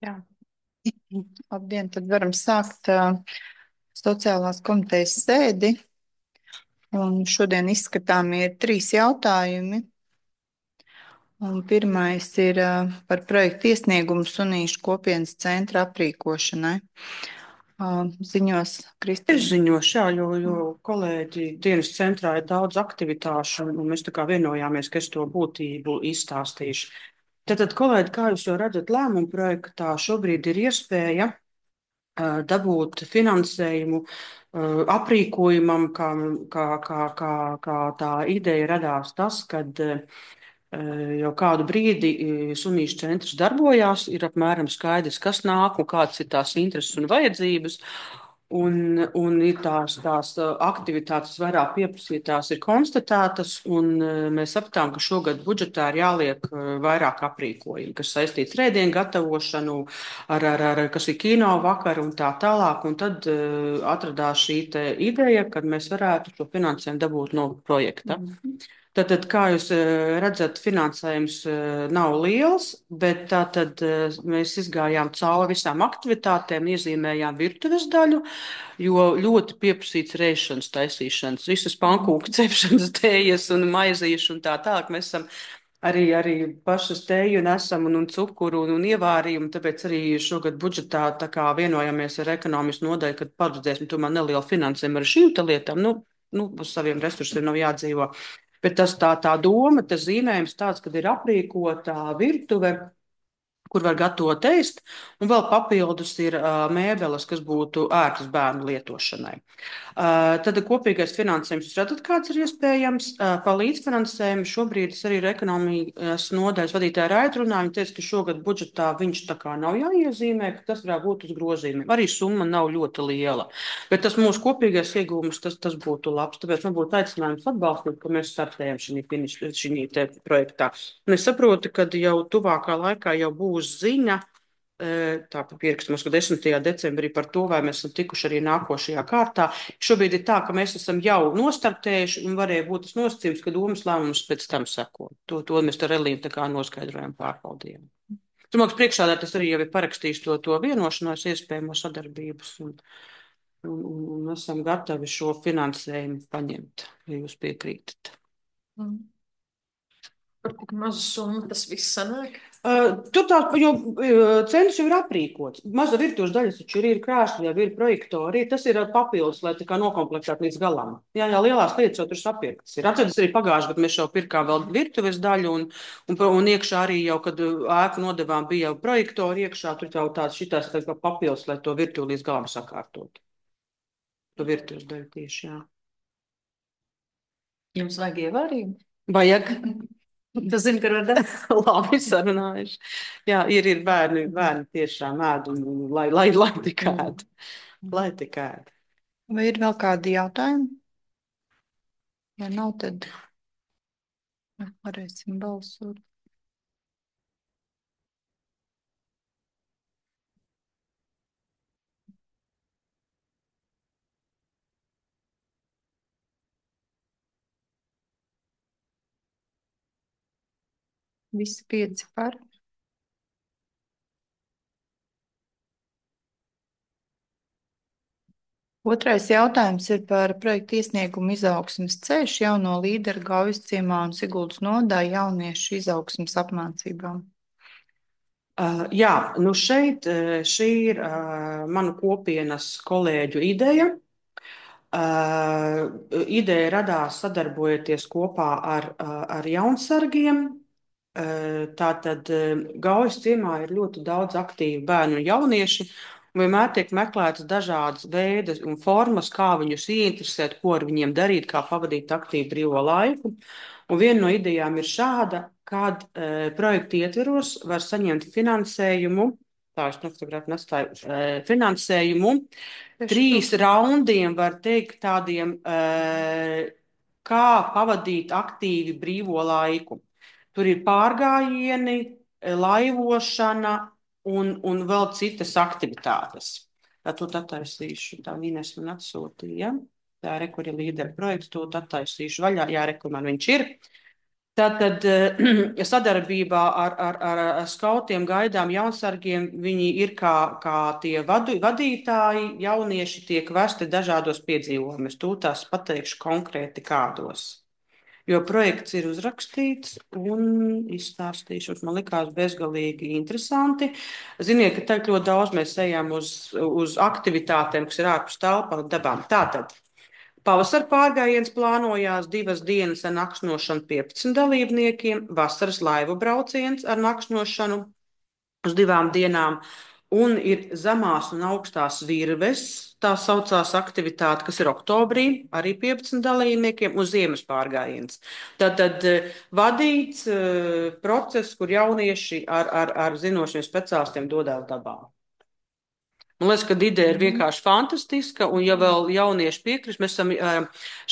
Jā, labdien, tad varam sākt sociālās komitejas sēdi. Un šodien izskatāmie ir trīs jautājumi. Un pirmais ir par projektu iesniegumu Sunīšu kopienas centra aprīkošanai. Ziņos Es Kristīna. ziņošu, jā, jo kolēģi dienas centrā ir daudz aktivitāšu, un mēs tā kā vienojāmies, ka es to būtību izstāstīšu. Tātad, kolēģi, kā jūs jau redzat, lēmumu projektā šobrīd ir iespēja dabūt finansējumu aprīkojumam, kā tā ideja radās tas, kad jau kādu brīdi sunīšu centrs darbojās, ir apmēram skaidrs, kas nāk un kādas ir tās intereses un vajadzības. Un ir tās aktivitātes vairāk pieprasītās, ir konstatētas, un mēs sapratām, ka šogad budžetā ir jāliek vairāk aprīkojumu, kas saistīts ar ēdienu gatavošanu, kas ir kino vakar un tā tālāk. Un tad atradās šī ideja, kad mēs varētu šo finansējumu dabūt no projekta. Tātad, kā jūs redzat, finansējums nav liels, bet tātad mēs izgājām cauri visām aktivitātēm, iezīmējām virtuves daļu, jo ļoti pieprasīts rēšanas taisīšanas, visas pankūku cepšanas tējas un maizīšu un tā tālāk. Mēs esam arī pašas tēju nesam un cukuru un ievārījumu, tāpēc arī šogad budžetā tā kā vienojamies ar ekonomistu nodaļu, kad paredzēsim tomēr nelielu finansējumu ar šīm lietām. Uz saviem resursiem nav jādzīvo. Bet tā doma, tas zīmējums tāds, kad ir aprīkota virtuve, kur var gatavot ēst, un vēl papildus ir mēbeles, kas būtu ērtas bērnu lietošanai. Tad kopīgais finansējums, jūs redzat, kāds ir iespējams. Pa līdzfinansējumu šobrīd es arī ar ekonomijas nodaļas vadītāju Raitu runāju. Viņa teica, ka šogad budžetā viņš tā kā nav jāiezīmē, ka tas varētu būt uz grozījumiem. Arī summa nav ļoti liela. Bet tas mūsu kopīgais iegūms, tas būtu labs. Tāpēc man būtu aicinājums atbalstīt, ka mēs startējam šī projektā. Un es saprotu, ka jau tuvākā laikā jau būs ziņa. Tā pierakstamos, ka 10. decembrī par to, vai mēs esam tikuši arī nākošajā kārtā. Šobrīd ir tā, ka mēs esam jau nostartējuši un varēja būt tas nosacījums, ka domas lēmums pēc tam seko. To mēs ar Elīnu tā kā noskaidrojam, pārbaudījām. Domāju, ka priekšsēdētājs arī jau ir parakstījis to vienošanos, iespējamo sadarbības, un esam gatavi šo finansējumu paņemt, ja jūs piekrītat. Par tik mazu summu tas viss sanāk? Tur tā, jo centrs jau ir aprīkots. Maza virtuves daļas taču ir krēsli, jau ir projektori. Tas ir papildus, lai tā kā nokomplektētu līdz galam. Jā, lielās lietas jau tur sapirktas ir. Atceries arī pagājušajā gadā mēs jau pirkām vēl virtuves daļu, un iekšā arī jau, kad ēku nodevām, bija jau projektori iekšā, tur jau tāds šitās tā kā papildus, lai to virtuvi līdz galam sakārtot. To virtuves daļu tieši, jā. Jums vajag ievārījumu? Vajag. Tas zina, ka rada. Labi sarunājuši. Jā, ir bērni tiešām ēd, lai tik ēd. Lai tik ēd. Vai ir vēl kādi jautājumi? Ja nav, tad varēsim balsot. Visi 5 par. Otrais jautājums ir par projektu iesniegumu izaugsmes ceļš jauno līderu Gaujas ciemā un Siguldas nodaļa jauniešu izaugsmes apmācībām. Jā, šeit šī ir manu kopienas kolēģu ideja. Ideja radās sadarbojoties kopā ar jaunsargiem. Tātad Gaujas ciemā ir ļoti daudz aktīvu bērnu un jaunieši, un vienmēr tiek meklētas dažādas veidas un formas, kā viņus ieinteresēt, ko ar viņiem darīt, kā pavadīt aktīvu brīvo laiku. Un viena no idejām ir šāda, kad projekta ietveros var saņemt finansējumu, finansējumu 3 raundiem, var teikt, tādiem, kā pavadīt aktīvi brīvo laiku. Tur ir pārgājieni, laivošana un vēl citas aktivitātes. To attaisīšu. Tā Ines man atsūtīja. Tā ir kur ir līdera projekts, to attaisīšu vaļā. Jā, kur man viņš ir. Tātad sadarbībā ar skautiem, gaidām, jaunsargiem viņi ir kā tie vadītāji, jaunieši tiek vesti dažādos piedzīvojumus. Tūlīt pateikšu konkrēti kādos. Jo projekts ir uzrakstīts un izstāstīšu. Man likās bezgalīgi interesanti. Ziniet, ka tagad ļoti daudz mēs ejam uz aktivitātēm, kas ir ārpus telpām dabām. Tātad. Pavasara pārgājiens plānojās 2 dienas ar nakšņošanu 15 dalībniekiem, vasaras laivu brauciens ar nakšņošanu uz 2 dienām, un ir zemās un augstās virves, tā saucās aktivitāte, kas ir oktobrī, arī 15 dalībniekiem, un ziemas pārgājiens. Tātad vadīts process, kur jaunieši ar zinošiem speciālistiem dodās dabā. Man liekas, ka ideja ir vienkārši fantastiska, un ja vēl jaunieši piekrist,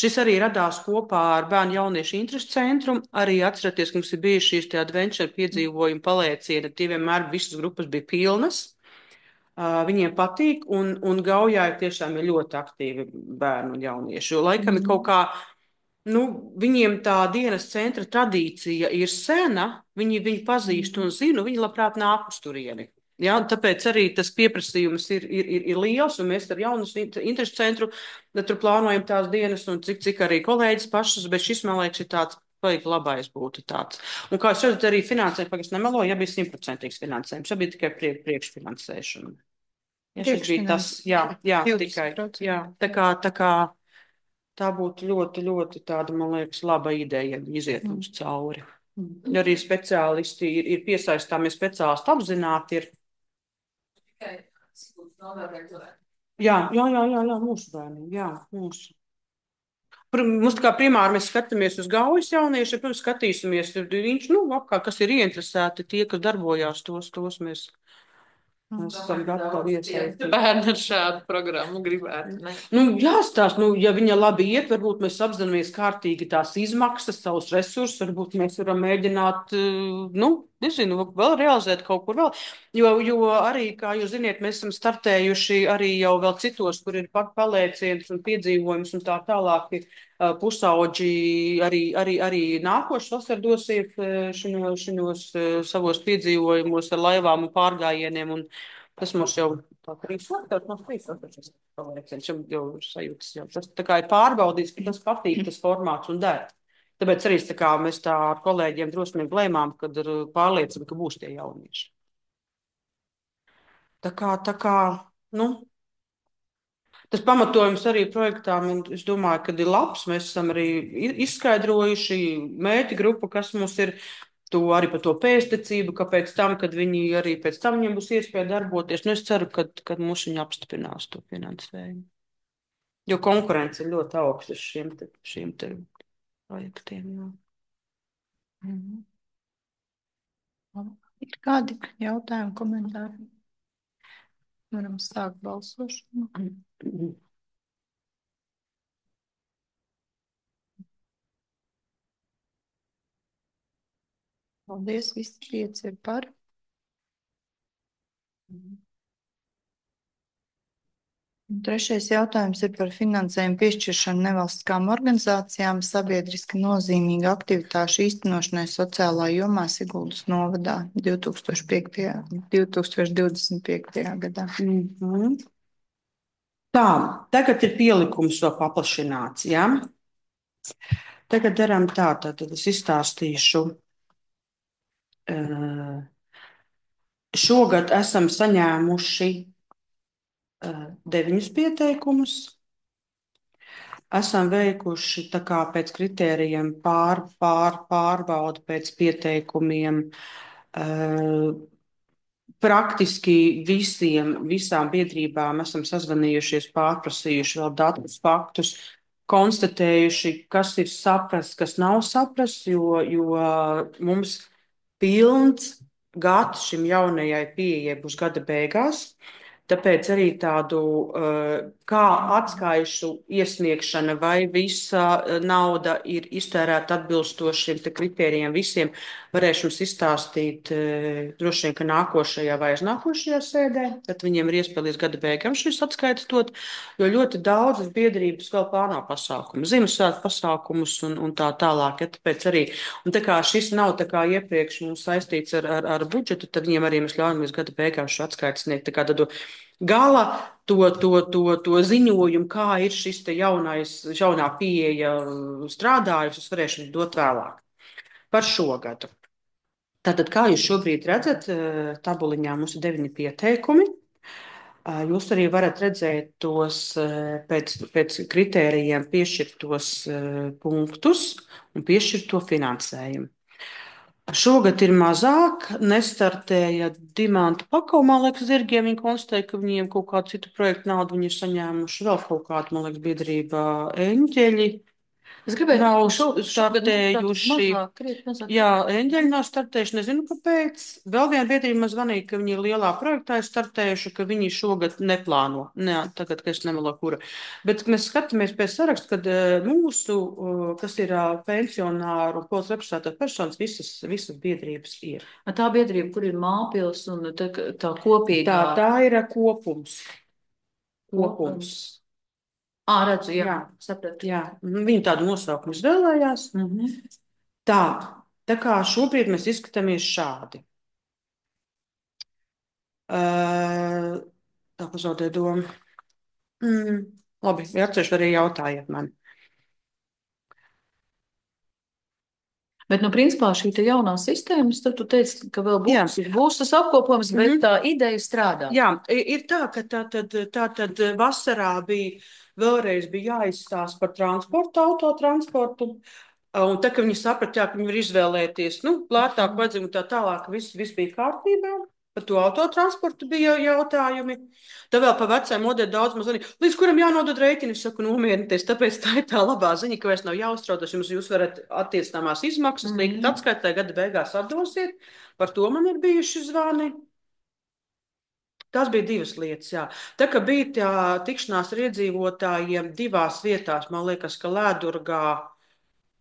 šis arī radās kopā ar Bērnu jauniešu interesu centru. Arī atceraties, ka mums ir bijuši šīs adventure piedzīvojumi palēcieni, tie vienmēr visas grupas bija pilnas. Viņiem patīk, un Gaujā tiešām ir ļoti aktīvi bērnu un jaunieši, jo laikam ir kaut kā, viņiem tā dienas centra tradīcija ir sena, viņi pazīst un zina, viņi labprāt nāk uz turieni. Ja, tāpēc arī tas pieprasījums ir liels, un mēs ar jauniešu interesu centru tur plānojam tās dienas, un cik arī kolēģis pašas, bet šis, man liekas, ir tāds vajag labais būtu tāds. Un kā jūs redzat, arī finansējums, pagaidām nemeloju, ja bija 100% finansējums, ja bija tikai priekšfinansēšana. Ja šeit bija tas, jā, tikai, jā, tā kā tā būtu ļoti, ļoti tāda, man liekas, laba ideja, ja iziet mums cauri. Arī speciālisti ir piesaistāmies, speciālisti apzināti ir. Jā, mūsu bērniem, jā, mūsu. Mums tā kā primāri mēs skatāmies uz Gaujas jauniešiem, protams, skatīsimies, viņš, apkārt, kas ir ieinteresēti, tie, kas darbojās, tos mēs esam gatavi iesaistīt. Bērni ar šādu programmu gribētu. Jāstāst, ja viņa labi iet, varbūt mēs apzināmies kārtīgi tās izmaksas, savus resursus, varbūt mēs varam mēģināt, nezinu, vēl realizēt kaut kur vēl. Jo arī, kā jūs ziniet, mēs esam startējuši arī jau vēl citos, kur ir palēciens un piedzīvojums un tā tālāk. Pusauģi arī nākošais vasar dosies šinos savos piedzīvojumos ar laivām un pārgājieniem. Un tas mums jau tā 3 vasars palēciens, jau sajūtas. Jau. Tas tā kā ir pārbaudīts, ka tas patīk, tas formāts un der. Tāpēc arī mēs tā ar kolēģiem drosmīgi lēmām, kad ir pārliecība, ka būs tie jaunieši. Tā kā, tas pamatojums arī projektām, es domāju, ka ir labs. Mēs esam arī izskaidrojuši mērķa grupu, kas mums ir to arī par to pēctecību, kāpēc tam, kad viņi arī pēc tam viņiem būs iespēja darboties. Es ceru, ka mūs viņi apstiprinās to finansējumu. Jo konkurence ir ļoti augsta šiem te projektiem. Ir kādi jautājumi, komentāri? Varam sākt balsošanu. Paldies, visi 5 ir par. Trešais jautājums ir par finansējumu piešķiršanu nevalstiskām organizācijām sabiedriski nozīmīgu aktivitāšu īstenošanai sociālā jomā Siguldas novadā 2025. gadā. Tā, tagad ir pielikums vēl paplašināts, ja? Tagad darām tā, tad es izstāstīšu. Šogad esam saņēmuši 9 pieteikumus. Esam veikuši tā kā pēc kritērijiem pārbaudu pēc pieteikumiem. Praktiski visām biedrībām esam sazvanījušies, pārprasījuši vēl datus, faktus, konstatējuši, kas ir saprasts, kas nav saprasts, jo mums pilns gads šim jaunajai pieejai būs gada beigās. Tāpēc arī tādu kā atskaišu iesniegšana vai visa nauda ir iztērēta atbilstoši šiem te kritērijiem visiem, varēšu jums izstāstīt droši vien, ka nākošajā vai aiznākošajā sēdē, tad viņiem ir iespēja līdz gada beigām šis atskaites dot, jo ļoti daudzas biedrības vēl plāno pasākumus, Ziemassvētku pasākumus un tā tālāk. Ja, tāpēc arī, un tā kā šis nav tā kā iepriekš mums saistīts ar budžetu, tad viņiem arī mēs ļaujam līdz gada beigām šo atskaites sniegt. Tā kā tad gala to ziņojumu, kā ir šis te jaunā pieeja strādājusi, es varēšu dot vēlāk par šo gadu. Tātad, kā jūs šobrīd redzat, tabuliņā mums ir 9 pieteikumi. Jūs arī varat redzēt tos pēc kritērijiem piešķirtos punktus un piešķirto finansējumu. Šogad ir mazāk, nestartēja Dimanta Pakau, man liekas, zirgiem. Viņi konstatēja, ka viņiem kaut kādu citu projektu naudu viņi ir saņēmuši. Vēl kaut kādu, man liekas, biedrība Eņģeļi. Es gribēju Nav startējuši. startējuši. Jā, Eņģeļi nav startējuši, nezinu, kāpēc. Vēl viena biedrība man zvanīja, ka viņi lielā projektā ir startējuši, ka viņi šogad neplāno. Nē, tagad, ka es nemelo kura. Bet mēs skatāmies pēc saraksta, kad mūsu, kas ir pensionāru un pols representētā personas, visas biedrības ir. Tā biedrība, kur ir Māpils un tā kopīgā. Tā ir kopums. Kopums. Redzu, jā, sapratu. Jā, viņi tādu nosaukumu izvēlējās. Tā kā šobrīd mēs izskatāmies šādi. Tā pazaudēja domu. Labi, ja atceros, arī jautājiet man. Bet, principā, šī te jaunā sistēma, tad tu teici, ka vēl būs tas apkopojums, bet tā ideja strādā. Jā, ir tā, ka tātad vasarā vēlreiz bija jāizstāsta par transportu, autotransportu. Un tā, ka viņi saprata, ka viņi var izvēlēties, lētāku vajadzību un tā tālāk, viss bija kārtībā. Par to autotransportu bija jautājumi. Tā vēl pa vecajam modeļu daudz mazliet, līdz kuram jānodod rēķini, es saku, nomierināties. Tāpēc tā ir tā labā ziņa, ka vairs nav jāuztraucas. Jūs varat attiecināmās izmaksas likt atskaitē, gada beigās atdosiet. Par to man ir bijuši zvani. Tas bija divas lietas, jā. Tā kā bija tā tikšanās ar iedzīvotājiem divās vietās, man liekas, ka Lēdurgā,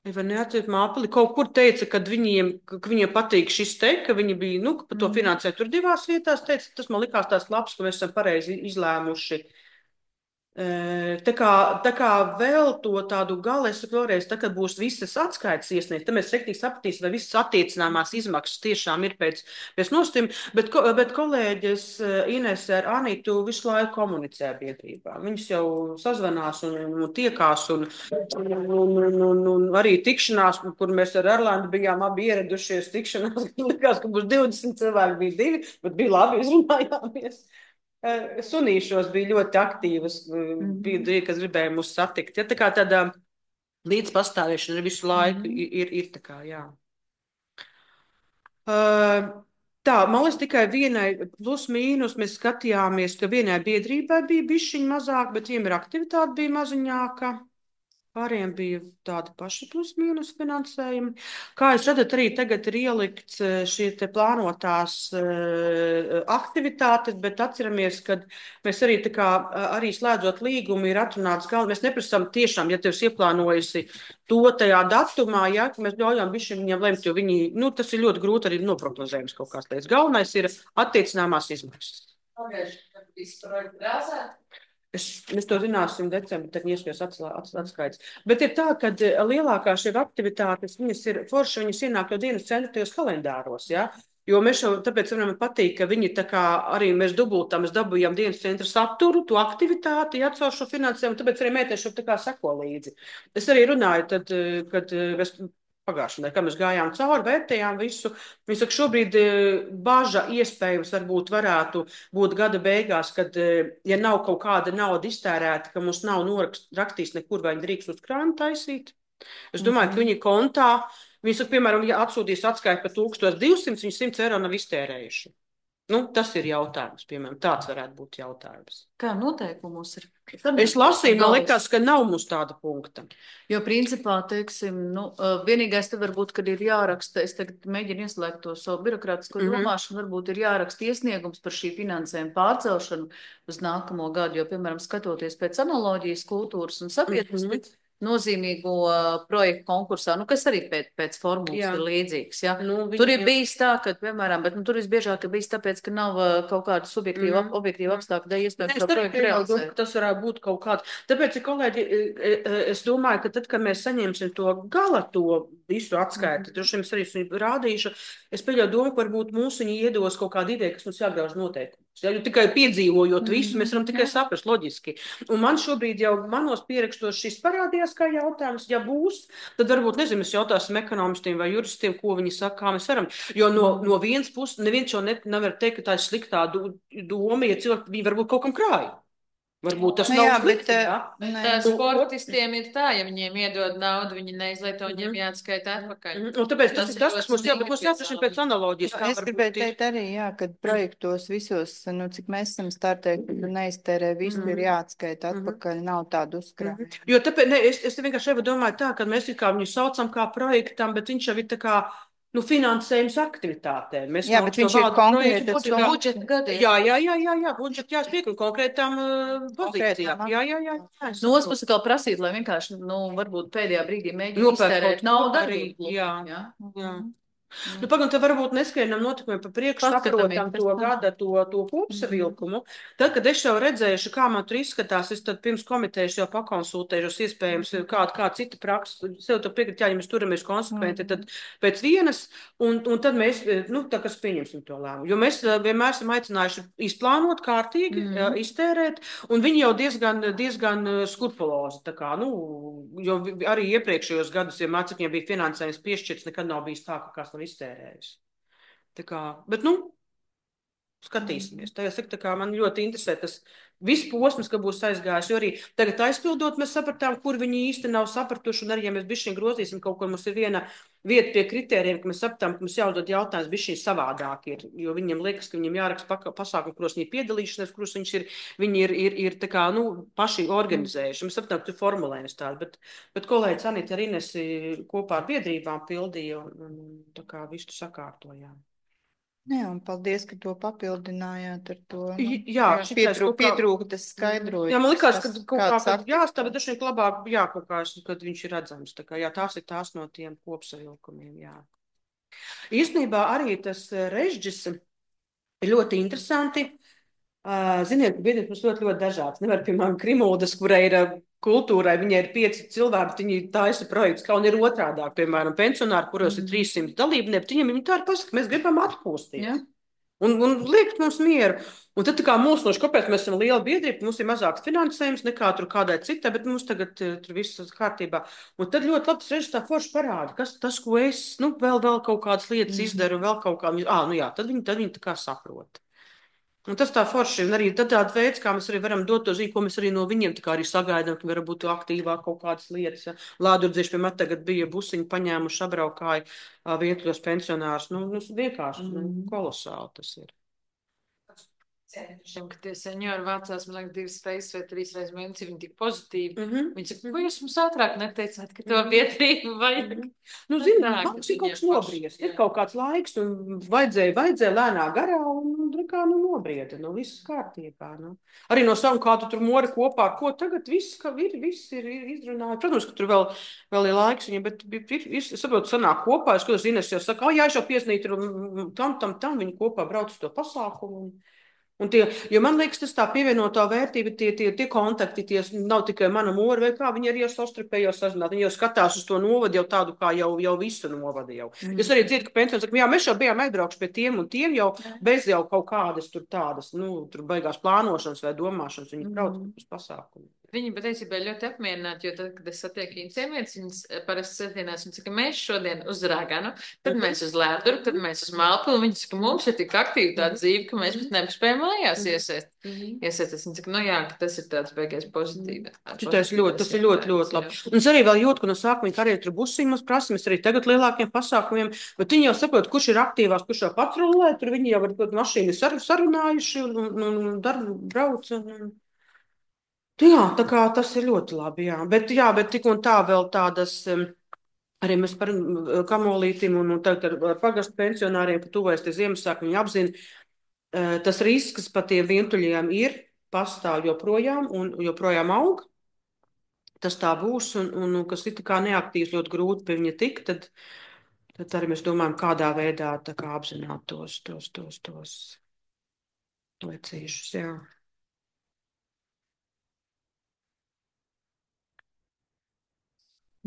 vai neatceros Māpili, kaut kur teica, ka viņiem patīk šis te, ka viņi bija, ka par to finansē tur divās vietās, teica, tas man likās tās labs, ka mēs esam pareizi izlēmuši. Tā kā vēl to tādu galu, es vēlreiz, tā kā būs visas atskaites iesniegt, tad mēs rektīgi sapratīsim, vai visas attiecināmās izmaksas tiešām ir pēc nostim, bet kolēģis Inese ar Anitu visu laiku komunicē biedrībā. Viņas jau sazvanās un tiekās un arī tikšanās, kur mēs ar Erlandu bijām abi ieradušies tikšanās, likās, ka būs 20 cilvēki, bija 2, bet bija labi, izrunājāmies. Sunīšos bija ļoti aktīvas, bija, kas gribēja mūs satikt. Ja, tā kā tāda līdzpastāvēšana visu laiku ir tā kā, jā. Tā, man liekas, tikai vienai plus mīnus mēs skatījāmies, ka vienai biedrībai bija bišķiņ mazāk, bet viņiem ir aktivitāte bija maziņāka. Pāriem bija tādi paši plus mīnus finansējumi. Kā jūs redzat, arī tagad ir ielikts šie te plānotās aktivitātes, bet atceramies, ka mēs arī tā kā arī slēdzot līgumu ir atrunāts galva. Mēs neprasām tiešām, ja tev ieplānojusi to tajā datumā, ja, ka mēs ļaujam viņiem lemt, jo viņi, tas ir ļoti grūti arī noprognozējums kaut kāds lietas. Galvenais ir attiecināmās izmaksas. Mēs to zināsim decembrī, tad iespējams atskaits. Bet ir tā, ka lielākā šie aktivitātes, viņas ir forši, viņas ienāk jau dienas centra tajos kalendāros, ja? Jo mēs jau, tāpēc man patīk, ka viņi tā kā arī mēs dubultā, mēs dabūjām dienas centra saturu, to aktivitāti, atcaur šo finansējumu, tāpēc arī mētēs šo tā kā seko līdzi. Es arī runāju, tad, kad mēs pagājušajā nedēļā, kad mēs gājām cauri, vērtējām visu. Viņi saka, šobrīd baža iespējams varētu būt gada beigās, kad, ja nav kaut kāda nauda iztērēta, ka mums nav norakstījis nekur, vai viņi drīkst uz krānu taisīt. Es domāju, ka viņi kontā, viņi saka, piemēram, ja atsūtīs atskaiti par 1200, viņi 100 eiro nav iztērējuši. Nu, tas ir jautājums, piemēram, tāds varētu būt jautājums. Kā noteikumos ir? Es lasīju, man likās, ka nav mums tāda punkta. Jo principā, teiksim, vienīgais te varbūt, kad ir jāraksta, es tagad mēģinu ieslēgt to savu birokrātisko domāšanu, varbūt ir jāraksta iesniegums par šī finansējuma pārcelšanu uz nākamo gadu, jo, piemēram, skatoties pēc analoģijas kultūras un sabiedrības nozīmīgo projektu konkursā, kas arī pēc formulas ir līdzīgs. Ja? Tur ir bijis tā, ka, piemēram, bet tur visbiežāk ir bijis tāpēc, ka nav kaut kāda subjektīva, objektīva apstākļa, dēļ iespējams to projektu realizēt. Tas varētu būt kaut kāds. Tāpēc, kolēģi, es domāju, ka tad, kad mēs saņemsim to gala to visu atskaiti, droši vien es arī rādīšu, es pieļauju domu, ka varbūt mūsu viņi iedos kaut kādu ideju, kas mums jāgrauž noteikumus. Ja, jo tikai piedzīvojot visu, mēs varam tikai saprast loģiski. Un man šobrīd jau manos pierakstos šis parādījās kā jautājums. Ja būs, tad varbūt, nezinu, mēs jautāsim ekonomistiem vai juristiem, ko viņi saka, kā mēs varam. Jo no vienas puses neviens jau nevar teikt, ka tā ir sliktā doma, ja cilvēki, viņi varbūt kaut kam krāja. Varbūt tas nav slikti, sportistiem ir tā, ja viņiem iedod naudu, viņi neizlieto, viņiem jāatskaita atpakaļ. Un tāpēc tas ir tas, kas mums jābūt, mums jāprašina pēc analoģijas. Es gribēju teikt arī, jā, kad projektos visos, cik mēs esam startēji, kad neiztērē visu, ir jāatskaita atpakaļ, nav tādu uzkrājumu. Jo tāpēc, es vienkārši domāju tā, ka mēs kā viņu saucam kā projektam, bet viņš jau ir tā kā, finansējums aktivitātēm. Jā, bet viņš ir konkrēti. Budžeta gadiem. Jā, budžeta jāspiek un konkrētām pozīcijām. Jā. No otras puses kā prasīt, lai vienkārši, varbūt pēdējā brīdī mēģina iztērēt naudu arī. Jā. Pagaidām, tad varbūt neskrienam notikumiem pa priekšu, saprotam to gada, to kopsavilkumu. Tad, kad es jau redzējuši, kā man tur izskatās, es tad pirms komitejas jau pakonsultējušos iespējams kā cita praksa, sev to piekrīt, ja mēs turamies konsekventi, tad pēc vienas, un tad mēs, tā kas pieņemsim to lēmumu. Jo mēs vienmēr esam aicinājuši izplānot kārtīgi, iztērēt, un viņi jau diezgan skrupulozi, tā kā, jo arī iepriekšējos gadus, ja mācekļiem bija finansējums piešķirts, nekad nav bijis tā, ka kāds nav iztērējis. Tā kā, bet, skatīsimies. Tā kā man ļoti interesē tas viss posms, ka būs aizgājis, jo arī tagad aizpildot, mēs sapratām, kur viņi īsti nav sapratuši, un arī, ja mēs bišķiņ grozīsim kaut ko, mums ir viena vieta pie kritērijiem, ka mēs sapratām, ka mums jāuzdod jautājums bišķiņ savādāk ir, jo viņiem liekas, ka viņiem jāraksta pasākumi, kuros viņi ir piedalīšanās, kuros viņi ir tā kā, paši organizējuši. Mēs sapratām, ka tur formulējums tāds, bet kolēģis Anita ar Inesi kopā ar biedrībām pildīja un tā kā visu sakārtojām. Jā, un paldies, ka to papildinājāt ar to. Pietrūka tas skaidrojums. Jā, man likās, ka kaut kā jāstāv, bet dažreiz labāk, kaut kā, kad viņš ir redzams. Tā kā, tās ir tās no tiem kopsavilkumiem, jā. Īstenībā arī tas režģis ir ļoti interesanti. Ziniet, biedrības mums ļoti dažāds. Nevar, piemēram, Krimuldas, kurai ir kultūrai, viņai ir 5 cilvēki, viņi taisa projekts, kā un ir otrādāk, piemēram, pensionāri, kuros ir 300 dalībnieki, viņi tā ir pasaka, mēs gribam atpūsties. Ja? Un liekt mums mieru. Un tad tā kā mūsnoši, kāpēc mēs esam liela biedrība, mums ir mazāks finansējums nekā tur kādai citai, bet mums tagad tur viss kārtībā. Un tad ļoti labi tas režis tā forši parāda, kas tas, ko es, vēl kaut kādas lietas izdaru, vēl kaut kā, tad viņi tā kā saprot. Un tas tā forši, un arī tāda veids, kā mēs arī varam dot to zīmi, ko mēs arī no viņiem tā kā arī sagaidām, ka var būt aktīvāk kaut kādas lietas. Ja. Lādurdzieši, piemēram, tagad bija busiņi paņēmuši, apbraukāja vietļos pensionārus. Vienkārši kolosāli tas ir. Ka tie seniori vācās, man liekas, 2 reizes vai 3 reizes mēnesī, viņi tik pozitīvi. Viņi saka, ko jūs mums ātrāk neteicāt, ka to biedrību vajag? Zināt, mums ir kaut kas nobriest. Ir kaut kāds laiks, un vajadzēja lēnā garā, un nobrieda, viss kārtībā. Arī no savu kādu tur mori kopā, ko tagad viss ir izrunāts. Protams, ka tur vēl ir laiks viņam, bet ir, saprotu, sanāk kopā, es kaut Ines jau saka, jā, es jau pieznīt, tam viņi kopā brauc uz to pasākumu. Jo man liekas, tas tā pievienotā vērtība, tie kontakti, nav tikai mana mora vai kā, viņi arī jau savstarpēji sazināt, viņi jau skatās uz to novadu jau tādu kā jau visu novadu jau. Es arī dzirdu, ka pensionāri saka, jā, mēs jau bijām aizbraukuši pie tiem un tiem jau bez jau kaut kādas tur tādas, tur baigās plānošanas vai domāšanas, viņi brauc uz pasākumu. Viņi patiesībā ļoti apmierināti, jo tad, kad es satieku viņas sievietes, viņas parasti sestdienās, viņas saka, mēs šodien uz Rāganu, tad mēs uz Lēduru, tad mēs uz Mālpilu, viņas saka, mums ir tik aktīva tā dzīve, ka mēs pat nepaspējam mājās iesēst. Iesēst, es viņas saka, nu jā, ka tas ir tāds beigais pozitīvi. Tas ir ļoti labi. Un es arī vēl jūtu, ka no sākuma viņi arī tur busiņi mums prasa, mēs arī tagad lielākiem pasākumiem, bet viņi jau saprot, kurš ir aktīvās, kurš jau patrulē, tur viņi jau ar mašīnu sarunājuši un brauc. Jā, tā kā tas ir ļoti labi, jā. Bet tik un tā vēl tādas, arī mēs par kamolītim un tagad ar pagastu pensionāriem, ka tuvojas tie Ziemassvētki, viņi apzina, tas risks par tiem vientuļiem ir, pastāv joprojām un joprojām aug. Tas tā būs, un kas ir tā kā neaktīvs, ļoti grūti pie viņa tikt, tad arī mēs domājam, kādā veidā tā kā apzināt tos lecīšus, jā.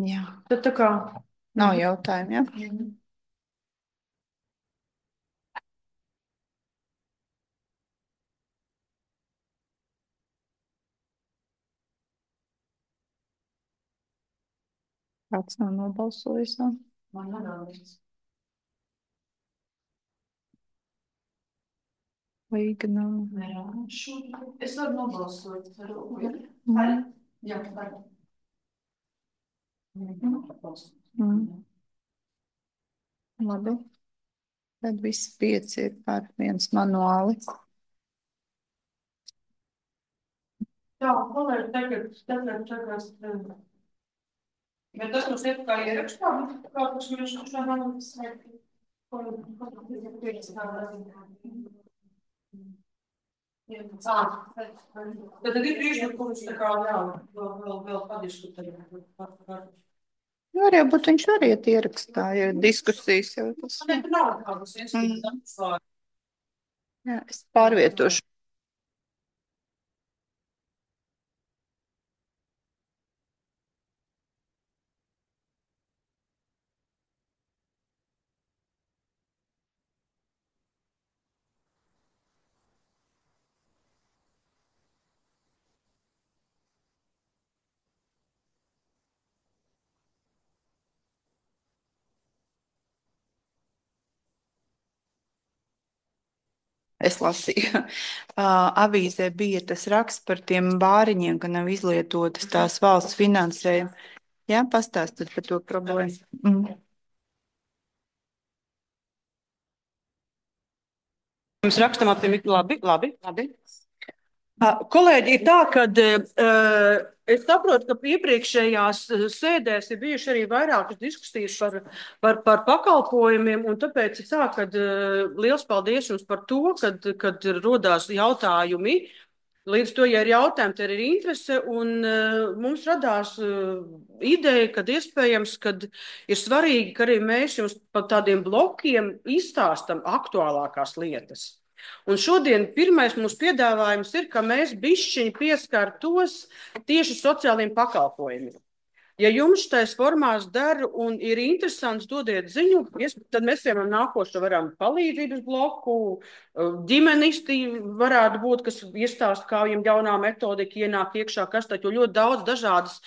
Jā, Tad tā kā nav jautājumu, jā? Kāds nav nobalsojis? Man nedaudz. Līga nav. Nē, es varu nobalsot. Jā, varu. Labi. Tad visi 5 ir par viens manuāli. jā, tagad. Bet tas mums ir kā ierakstā, kā tas mēs Tad ir priekšlikums tā kā vēl padiskutēt. Nu, arī būt viņš variet ierakstā, jo diskusijas jau tas. Nav kādas iespējas. Jā, es pārvietošu. Es lasīju. Avīzē bija tas raksts par tiem bāriņiem, ka nav izlietotas tās valsts finansējumi. Jā, pastāstiet par to problēmu. Mēs rakstam ap tiem, labi. Kolēģi, ir tā, ka es saprotu, ka iepriekšējās sēdēs ir bijuši arī vairākas diskusijas par pakalpojumiem, un tāpēc ir tā, ka liels paldies jums par to, kad rodās jautājumi. Līdz to, ja ir jautājumi, tad ir interese, un mums radās ideja, kad iespējams, kad ir svarīgi, ka arī mēs jums par tādiem blokiem izstāstam aktuālākās lietas. Un šodien pirmais mūsu piedāvājums ir, ka mēs bišķiņi pieskārtos tieši sociāliem pakalpojumiem. Ja jums tais formās der un ir interesants, dodiet ziņu, tad mēs piemēram nākošo varam palīdzības bloku, ģimenisti varētu būt, kas iestāst, kā viņam jaunā metodika ienāk iekšā, kas taču ļoti daudz dažādas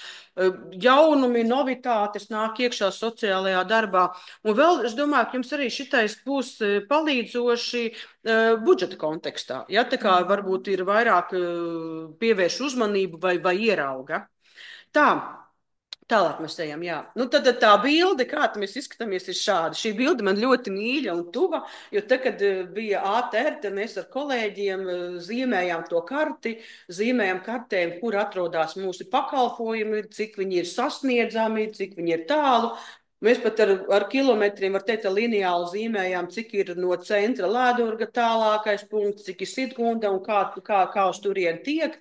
jaunumi, novitātes nāk iekšā sociālajā darbā. Un vēl, es domāju, ka jums arī šitais būs palīdzoši budžeta kontekstā. Ja, tā kā varbūt ir vairāk pievērš uzmanību vai ierauga. Tālāk mēs ejam, jā. Nu, tad tā bilde, kā mēs izskatāmies, ir šāda. Šī bilde man ļoti mīļa un tuva, jo tad, kad bija ATR, tad mēs ar kolēģiem zīmējām to karti, zīmējām kartēm, kur atrodas mūsu pakalpojumi, cik viņi ir sasniedzami, cik viņi ir tālu. Mēs pat ar kilometriem, var teikt, lineāli zīmējām, cik ir no centra Lēdurga tālākais punkts, cik ir Sidgunda un kā uz turieni tiek.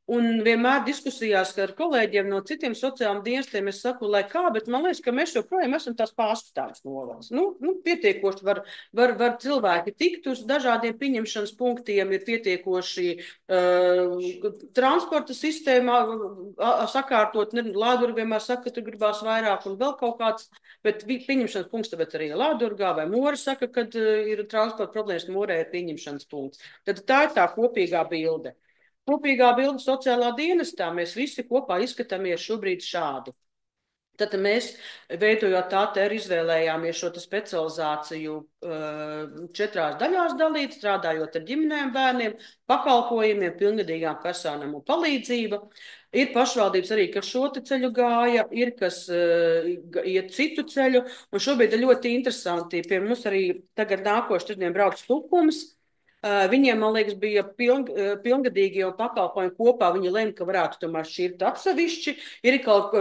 Un vienmēr diskusijās ar kolēģiem no citiem sociālajiem dienestiem es saku, lai kā, bet man liekas, ka mēs joprojām esam tās pārskatāmas novads. Nu, pietiekoši var cilvēki tikt uz dažādiem pieņemšanas punktiem, ir pietiekoši transporta sistēmā sakārtot. Lādurga vienmēr saka, ka tur gribās vairāk un vēl kaut kāds, bet pieņemšanas punkts tāpēc arī Lādurgā vai Mora saka, kad ir transporta problēmas, Morē ir pieņemšanas punkts. Tad tā ir tā kopīgā bilde. kopīgā bilde sociālā dienestā. Mēs visi kopā izskatāmies šobrīd šādi. Tad mēs, veidojot ATR, izvēlējāmies šo specializāciju 4 daļās dalīt, strādājot ar ģimenēm, bērniem, pakalpojumiem, pilngadīgām personām un palīdzību. Ir pašvaldības arī, kas šo ceļu gāja, ir, kas iet citu ceļu, un šobrīd ir ļoti interesanti. Pie mums arī tagad nākošu trešdien brauc Lukums. Viņiem, man liekas, bija pilngadīgie un pakalpojumi kopā. Viņi lēma, ka varētu tomēr šķirt atsevišķi. Ir kaut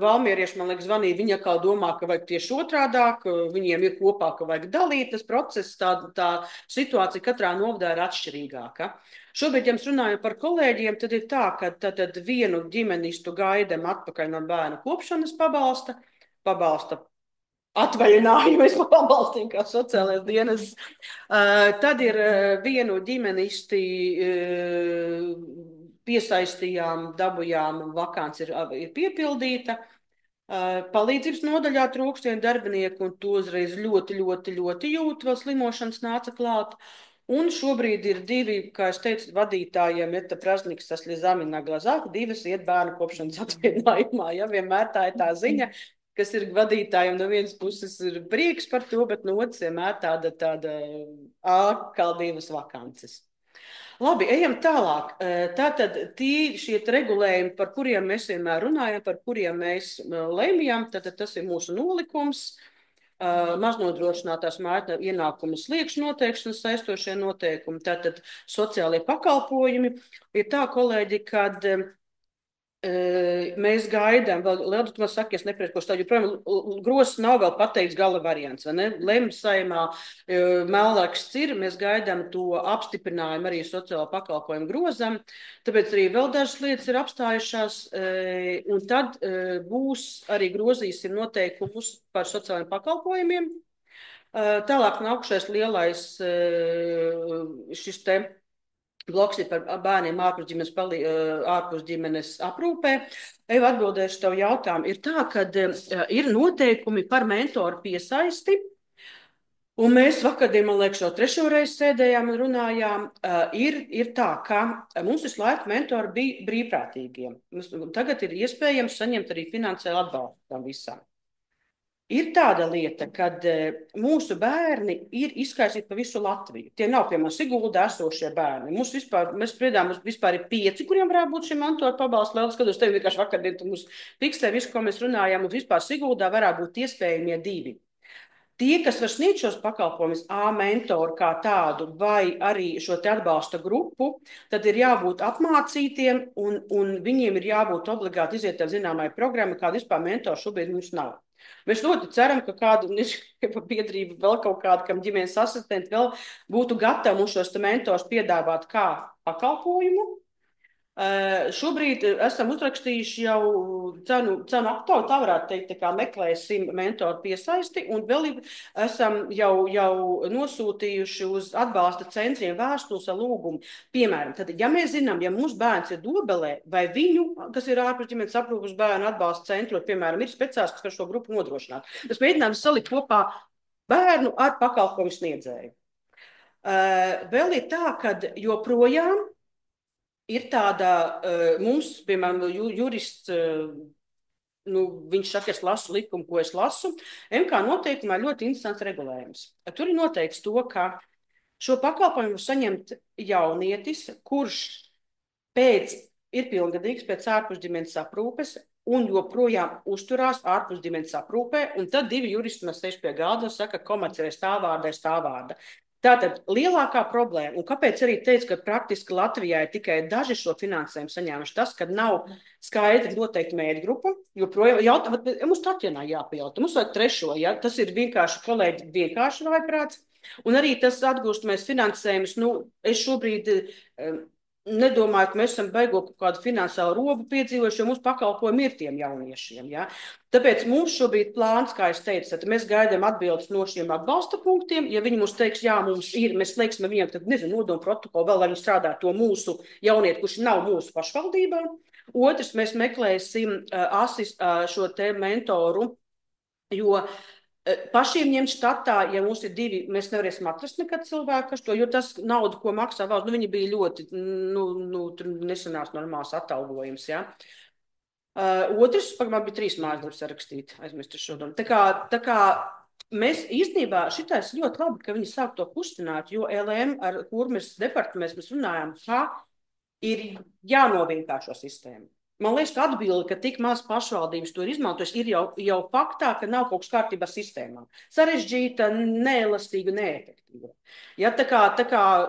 valmierieši, man liekas, zvanīja, viņi kā domā, ka vajag tieši otrādāk, viņiem ir kopā, ka vajag dalīt tas process, tā situācija katrā novadā ir atšķirīgāka. Šobrīd, ja mēs runājam par kolēģiem, tad ir tā, ka tad vienu ģimenistu gaidam atpakaļ no bērnu kopšanas pabalsta atvaļinājumu, mēs pabalstīm kā sociālais dienas. Tad ir vienu ģimenisti piesaistījām, dabujām, vakants ir piepildīta. Palīdzības nodaļā trūkst vienu darbinieku, un to uzreiz ļoti jūt, vēl slimošanas nāca klāt. Un šobrīd ir 2, kā es teicu, vadītājiem, Eta Prasniks, tas Ļizamina Glazāk, 2 iet bērnu kopšanas atvaļinājumā. Ja, vienmēr tā ir tā ziņa, kas ir vadītājiem, no vienas puses ir prieks par to, bet no otras vienmēr tāda ārkārtības vakances. Labi, ejam tālāk. Tātad šie regulējumi, par kuriem mēs vienmēr runājam, par kuriem mēs lemjam, tātad tas ir mūsu nolikums, maznodrošinātās mājas ienākumu sliekšņu noteikšanas saistošie noteikumi, tātad sociālie pakalpojumi. Ir tā, kolēģi, kad mēs gaidām, vēl Lieldu, man saka, es nepriekos tā, joprojām grozs nav vēl pateikts gala variants, vai ne? Lems Saeimā melnraksts ir, mēs gaidām to apstiprinājumu arī sociālo pakalpojumu grozam, tāpēc arī vēl dažas lietas ir apstājušās, un tad būs arī grozīsim noteikumus par sociālajiem pakalpojumiem. Tālāk nākušais lielais šis te bloks ir par bērniem ārpus ģimenes aprūpē. Eva, atbildēšu tev jautājumu. Ir tā, ka ir noteikumi par mentoru piesaisti, un mēs vakardien, man liekas, jau 3. reizi sēdējām un runājām. Ir tā, ka mums visu laiku mentori bija brīvprātīgiem. Tagad ir iespējams saņemt arī finansiālu atbalstu tam visam. Ir tāda lieta, kad mūsu bērni ir izkaisīti pa visu Latviju. Tie nav, piemēram, Siguldā esošie bērni. Mēs spriedām, mums vispār ir 5, kuriem varētu būt šī mentoru pabalsta. Liels, kad uz tevi vienkārši vakardien tu mums fiksē visu, ko mēs runājām, un vispār Siguldā varētu būt iespējamie 2. Tie, kas var sniegt šos pakalpojumus, mentoru kā tādu, vai arī šo te atbalsta grupu, tad ir jābūt apmācītiem, un viņiem ir jābūt obligāti iziet ar zināmai programmu, kāda vispār mentoru šobrīd mums nav. Mēs ļoti ceram, ka kāda biedrība vēl kaut kāda, kam ģimenes asistenti vēl būtu gatavi mums šos mentors piedāvāt kā pakalpojumu. Šobrīd esam uzrakstījuši jau cenu aptauju, tā varētu teikt, tā kā meklēsim mentoru piesaisti, un vēl esam jau nosūtījuši uz atbalsta centriem vēstules ar lūgumu. Piemēram, tad, ja mēs zinām, ja mūsu bērns ir Dobelē, vai viņu, kas ir ārpus ģimenes aprūpes bērnu atbalsta centros, piemēram, ir speciālists, kas var šo grupu nodrošināt. Tas mēģinājums salikt kopā bērnu ar pakalpojumu sniedzēju. Vēl ir tā, ka joprojām ir tāda, mums, piemēram, jurists, viņš saka, es lasu likumu, ko es lasu, MK noteikumā ļoti interesants regulējums. Tur ir noteikts to, ka šo pakalpojumu saņemt jaunietis, kurš ir pilngadīgs pēc ārpusģimenes aprūpes un joprojām uzturās ārpusģimenes aprūpē, un tad 2 juristi mēs sēž pie galda un saka, komerciālais tā vārda. Tātad lielākā problēma, un kāpēc arī teicu, ka praktiski Latvijā ir tikai daži šo finansējumu saņēmuši, tas, ka nav skaidri noteikti mērķgrupa, joprojām mums Tatjanā jāpajautā, mums vajag 3. Ja? Tas ir vienkārši, kolēģi, vienkārši vaiprāts, un arī tas atgūstamies finansējumus, es šobrīd nedomāju, ka mēs esam beigot kādu finansiālu robu piedzīvojuši, jo mums pakalpojumi ir tiem jauniešiem. Ja? Tāpēc mums šobrīd plāns, kā es teicu, tad mēs gaidām atbildes no šiem atbalsta punktiem. Ja viņi mums teiks, jā, mums ir, mēs slēgsim viņiem, tad nodomu protokolu vēl, lai viņi strādā to mūsu jaunieti, kurš nav mūsu pašvaldībā. Otrs, mēs meklēsim šo te mentoru, jo pašiem ņemt štatā, ja mums ir 2, mēs nevarēsim atrast nekad cilvēku, kas to, jo tas nauda, ko maksā valsts, viņi bija ļoti, tur nesanās normāls atalgojums, ja. Otrs, man bija 3 mājasdarbus sarakstīt, aizmirstu šodien. Tā kā mēs īstenībā šitais ļoti labi, ka viņi sāk to kustināt, jo LM, ar kur mēs departaments mēs runājām, ir jānovienkāršo sistēmu. Man liekas, ka atbilde, ka tik maz pašvaldības to ir izmantojuši, ir jau faktā, ka nav kaut kas kārtībā sistēmā. Sarežģīta, neelastīga, neefektīva. Ja, tā kā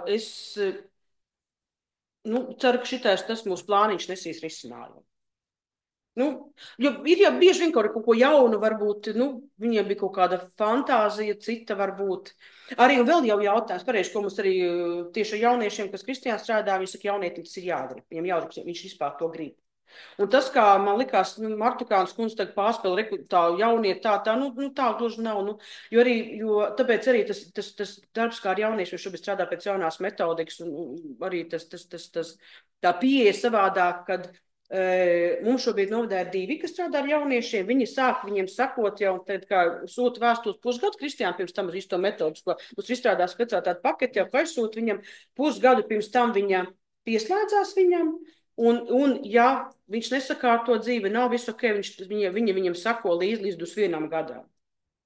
es ceru, ka tas mūsu plāniņš nesīs risinājumu. Jo ir jau bieži vien kaut ko jaunu, varbūt, viņiem bija kaut kāda fantāzija, cita varbūt. Arī vēl jau jautājums, pareizi, ko mums arī tieši ar jauniešiem, kas Kristijā strādā, viņi saka, jaunietim tas ir jādara. Viņam jāgrib, viņš vispār to grib. Un tas, kā man likās, Martukāns kundze tagad pārspēl tā jaunieti, tā gluži nav. Jo tāpēc arī tas darbs, kā ar jauniešiem šobrīd strādā pēc jaunās metodikas, un arī tā pieeja savādāk, kad mums šobrīd novadā ir 2, kas strādā ar jauniešiem. Viņi sāk viņiem sakot jau, tad kā sūta vēstules pusgadu, Kristijām pirms tam uz to metodus, ko mums izstrādā speciālitāte paketi, jau aizsūta viņam pusgadu pirms tam viņa pieslēdzās viņam. Un ja viņš nesakārto dzīvi, nav visu ok, viņam sako līdz 21 gadam.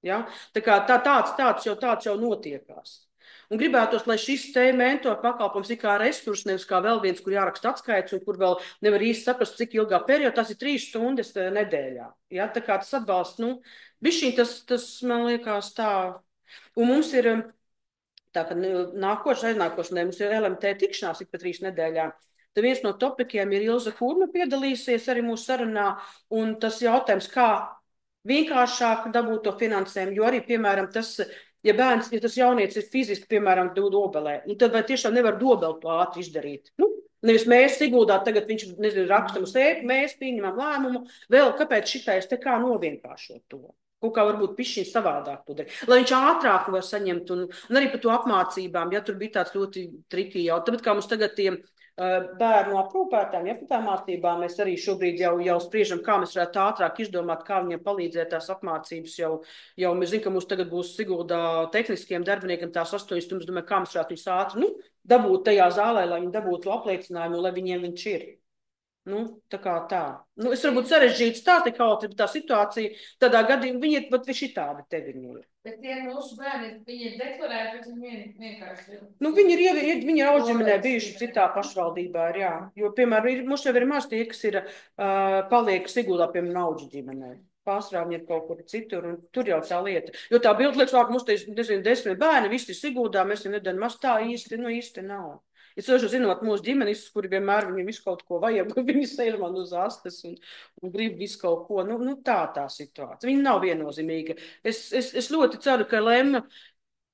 Ja? Tā kā tāds jau notiekās. Un gribētos, lai šis mentoru pakalpojums ir kā resurs, nevis kā vēl viens, kur jāraksta atskaits un kur vēl nevar īsti saprast, cik ilgā periodā, tas ir 3 stundas nedēļā. Ja? Tā kā tas atbalsts, bišķiņ tas man liekas tā. Un mums ir, tā kā aiznākošanai, mums ir LMT tikšanās ik pa 3 nedēļām. Tad viens no topikiem ir Ilza Kurma piedalīsies arī mūsu sarunā, un tas jautājums, kā vienkāršāk dabūt to finansējumu, jo arī, piemēram, ja tas jaunietis ir fiziski, piemēram, dobelē, tad vai tiešām nevar dobeli to ātri izdarīt? Nevis mēs Siguldā, tagad viņš, rakstam uz ēku, mēs pieņemam lēmumu, vēl kāpēc šitais te kā novienkāršot to? Kaut kā varbūt pišķiņ savādāk to darīt, lai viņš ātrāk var saņemt, un arī par to apmācībām, ja tur bija tāds ļoti triki jau, tāpēc kā mums tagad tiem bērnu aprūpētājiem, ja par tām mācībām mēs arī šobrīd jau spriežam, kā mēs varētu ātrāk izdomāt, kā viņiem palīdzēt tās apmācības. Jau mēs zinām, ka mums tagad būs Siguldā tehniskiem darbiniekiem tās 8 stundas, domāju, kā mēs varētu viņus ātri dabūt tajā zālē, lai viņi dabūtu apliecinājumu, lai viņiem viņš ir. Tā kā tā. Es varbūt sarežģītu stāstu, kaut ir tā situācija, tādā gadījumā viņi ir pat šitādi tevi ir. Bet tie mūsu bērni, viņi ir deklarēti, bet viņi vienkārši. Viņi ir audžeminē bijuši citā pašvaldībā, jā. Jo, piemēram, mums jau ir maz tie, kas ir paliek Siguldā, piemēram, audžu ģimenē. Pārsvarā viņi ir kaut kur citur, un tur jau tā lieta. Jo tā bilde liekas, ka mums te ir, 10 bērni, visi ir Siguldā, mēs jau nedaram maz tā īsti nav. Es jau zinot mūsu ģimenes, kuri vienmēr viņiem visu kaut ko vajag, viņi sēž man uz astes un grib visu kaut ko. Tā situācija. Viņa nav viennozīmīga. Es ļoti ceru, ka LM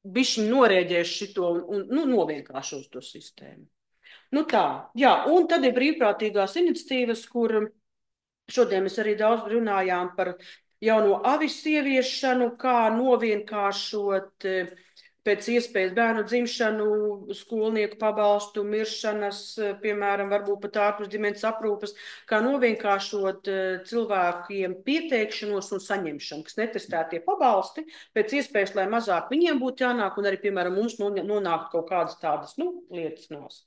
bišķiņ norēģēs šito un novienkāršos to sistēmu. Tā, jā, un tad ir brīvprātīgās iniciatīvas, kur šodien mēs arī daudz runājām par jauno avis ieviešanu, kā novienkāršot pēc iespējas bērnu dzimšanu, skolnieku pabalstu, miršanas, piemēram, varbūt pat ārpus ģimenes aprūpes, kā novienkāršot cilvēkiem pieteikšanos un saņemšanu, kas netestētie pabalsti, pēc iespējas, lai mazāk viņiem būtu jānāk, un arī, piemēram, mums nonākt kaut kādas tādas, lietas nost.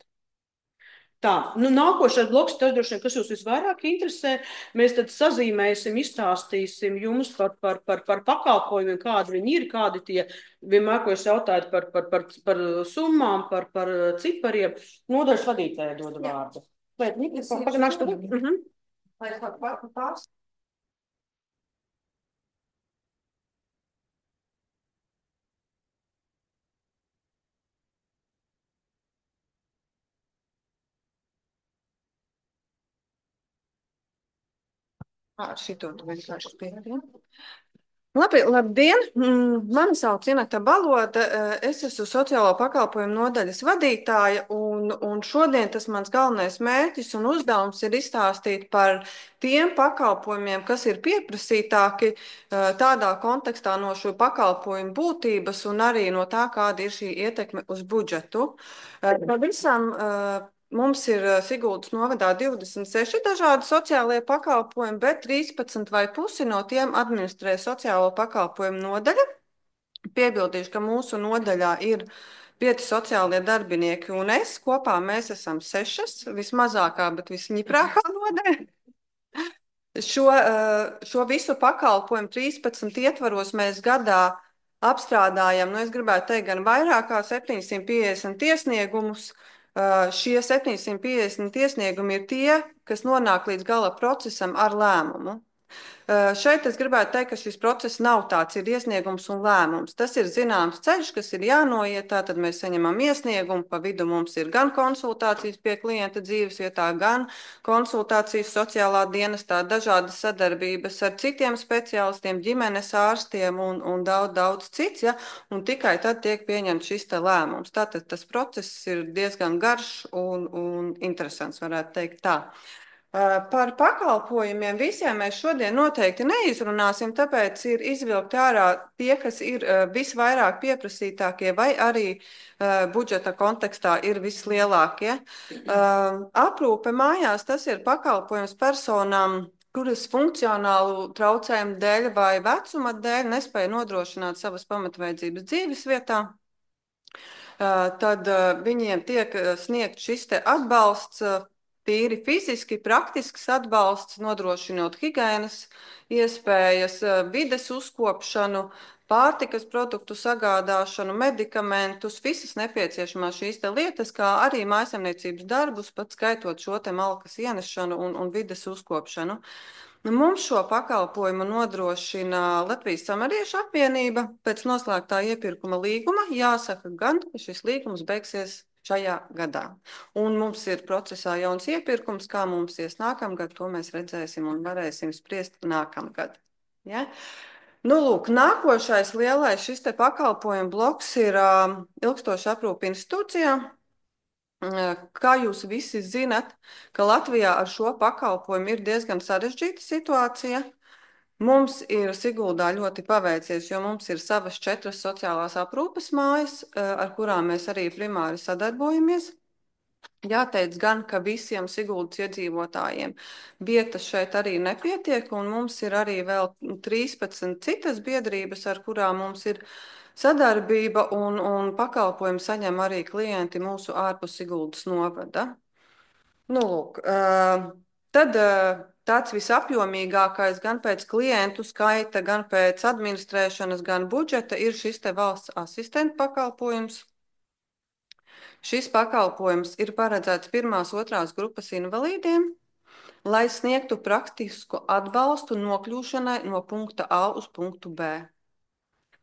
Tā, nākošais bloks, tas droši vien, kas jūs visvairāk interesē, mēs tad sazīmēsim, izstāstīsim jums par pakalpojumiem, kādi viņi ir, kādi tie, vienmēr, ko es jautāju par summām, par cipariem. Nodaļas vadītāja dodu vārdu. Šito tu vienkārši pierādīji. Labdien! Mani sauc Ineta Baloda. Es esmu sociālo pakalpojumu nodaļas vadītāja, un šodien tas mans galvenais mērķis un uzdevums ir izstāstīt par tiem pakalpojumiem, kas ir pieprasītāki tādā kontekstā no šo pakalpojumu būtības un arī no tā, kāda ir šī ietekme uz budžetu. Pavisam mums ir Siguldas novadā 26 dažādi sociālie pakalpojumi, bet 13,5 no tiem administrē sociālo pakalpojumu nodaļa. Piebildīšu, ka mūsu nodaļā ir 5 sociālie darbinieki, un kopā mēs esam 6, vismazākā, bet visņiprākā nodaļa. Šo visu pakalpojumu 13 ietvaros mēs gadā apstrādājam, es gribētu teikt, gan vairāk kā 750 iesniegumus. Šie 750 iesniegumi ir tie, kas nonāk līdz gala procesam ar lēmumu. Šeit es gribētu teikt, ka šis process nav tāds, ir iesniegums un lēmums. Tas ir zināms ceļš, kas ir jānoiet, tātad mēs saņemam iesniegumu, pa vidu mums ir gan konsultācijas pie klienta dzīvesvietā, gan konsultācijas sociālā dienestā, dažādas sadarbības ar citiem speciālistiem, ģimenes ārstiem un daudz cits, ja? Un tikai tad tiek pieņemts šis te lēmums. Tātad tas process ir diezgan garš un interesants, varētu teikt tā. Par pakalpojumiem visiem mēs šodien noteikti neizrunāsim, tāpēc ir izvilkti ārā tie, kas ir visvairāk pieprasītākie vai arī budžeta kontekstā ir vislielākie. Aprūpe mājās tas ir pakalpojums personām, kuras funkcionālu traucējumu dēļ vai vecuma dēļ nespēja nodrošināt savas pamatvajadzības dzīves vietā. Tad viņiem tiek sniegt šis te atbalsts, tīri fiziski, praktisks atbalsts, nodrošinot higienas iespējas, vides uzkopšanu, pārtikas produktu sagādāšanu, medikamentus, visas nepieciešamās šīs te lietas, kā arī mājasemniecības darbus, pat skaitot šo te malkas ienešanu un vides uzkopšanu. Mums šo pakalpojumu nodrošina Latvijas Samariešu apvienība pēc noslēgtā iepirkuma līguma. Jāsaka gan, ka šis līgums beigsies šajā gadā. Un mums ir procesā jauns iepirkums, kā mums ies nākamgad, to mēs redzēsim un varēsim spriest nākamgad. Ja? Lūk, nākošais lielais šis te pakalpojumu bloks ir ilgstoša aprūpe institūcijā. Kā jūs visi zinat, ka Latvijā ar šo pakalpojumu ir diezgan sarežģīta situācija. Mums ir Siguldā ļoti paveicies, jo mums ir savas 4 sociālās aprūpes mājas, ar kurām mēs arī primāri sadarbojamies. Jāteic gan, ka visiem Siguldas iedzīvotājiem vietas šeit arī nepietiek, un mums ir arī vēl 13 citas biedrības, ar kurām mums ir sadarbība un pakalpojumu saņem arī klienti mūsu ārpus Siguldas novada. Lūk, tad tāds visapjomīgākais gan pēc klientu skaita, gan pēc administrēšanas, gan budžeta ir šis te valsts asistenta pakalpojums. Šis pakalpojums ir paredzēts 1. un 2. grupas invalīdiem, lai sniegtu praktisku atbalstu nokļūšanai no punkta A uz punktu B.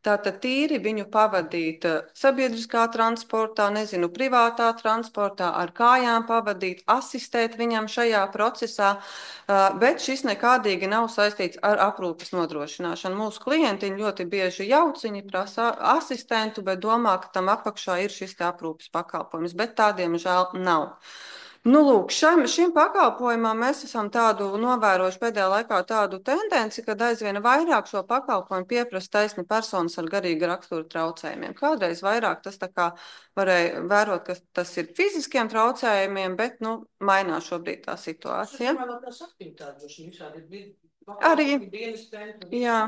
Tātad tīri viņu pavadīt sabiedriskā transportā, privātā transportā, ar kājām pavadīt, asistēt viņam šajā procesā, bet šis nekādīgi nav saistīts ar aprūpes nodrošināšanu. Mūsu klientiņi ļoti bieži jauc, viņi prasa asistentu, bet domā, ka tam apakšā ir šis te aprūpes pakalpojums, bet tādiem žēl nav. Lūk, šim pakalpojumam mēs esam novērojuši pēdējā laikā tādu tendenci, kad aizvien vairāk šo pakalpojumu pieprasa taisni personas ar garīga rakstura traucējumiem. Kādreiz vairāk tas tā kā varēja vērot, ka tas ir fiziskiem traucējumiem, bet, mainās šobrīd tā situācija. Arī, jā.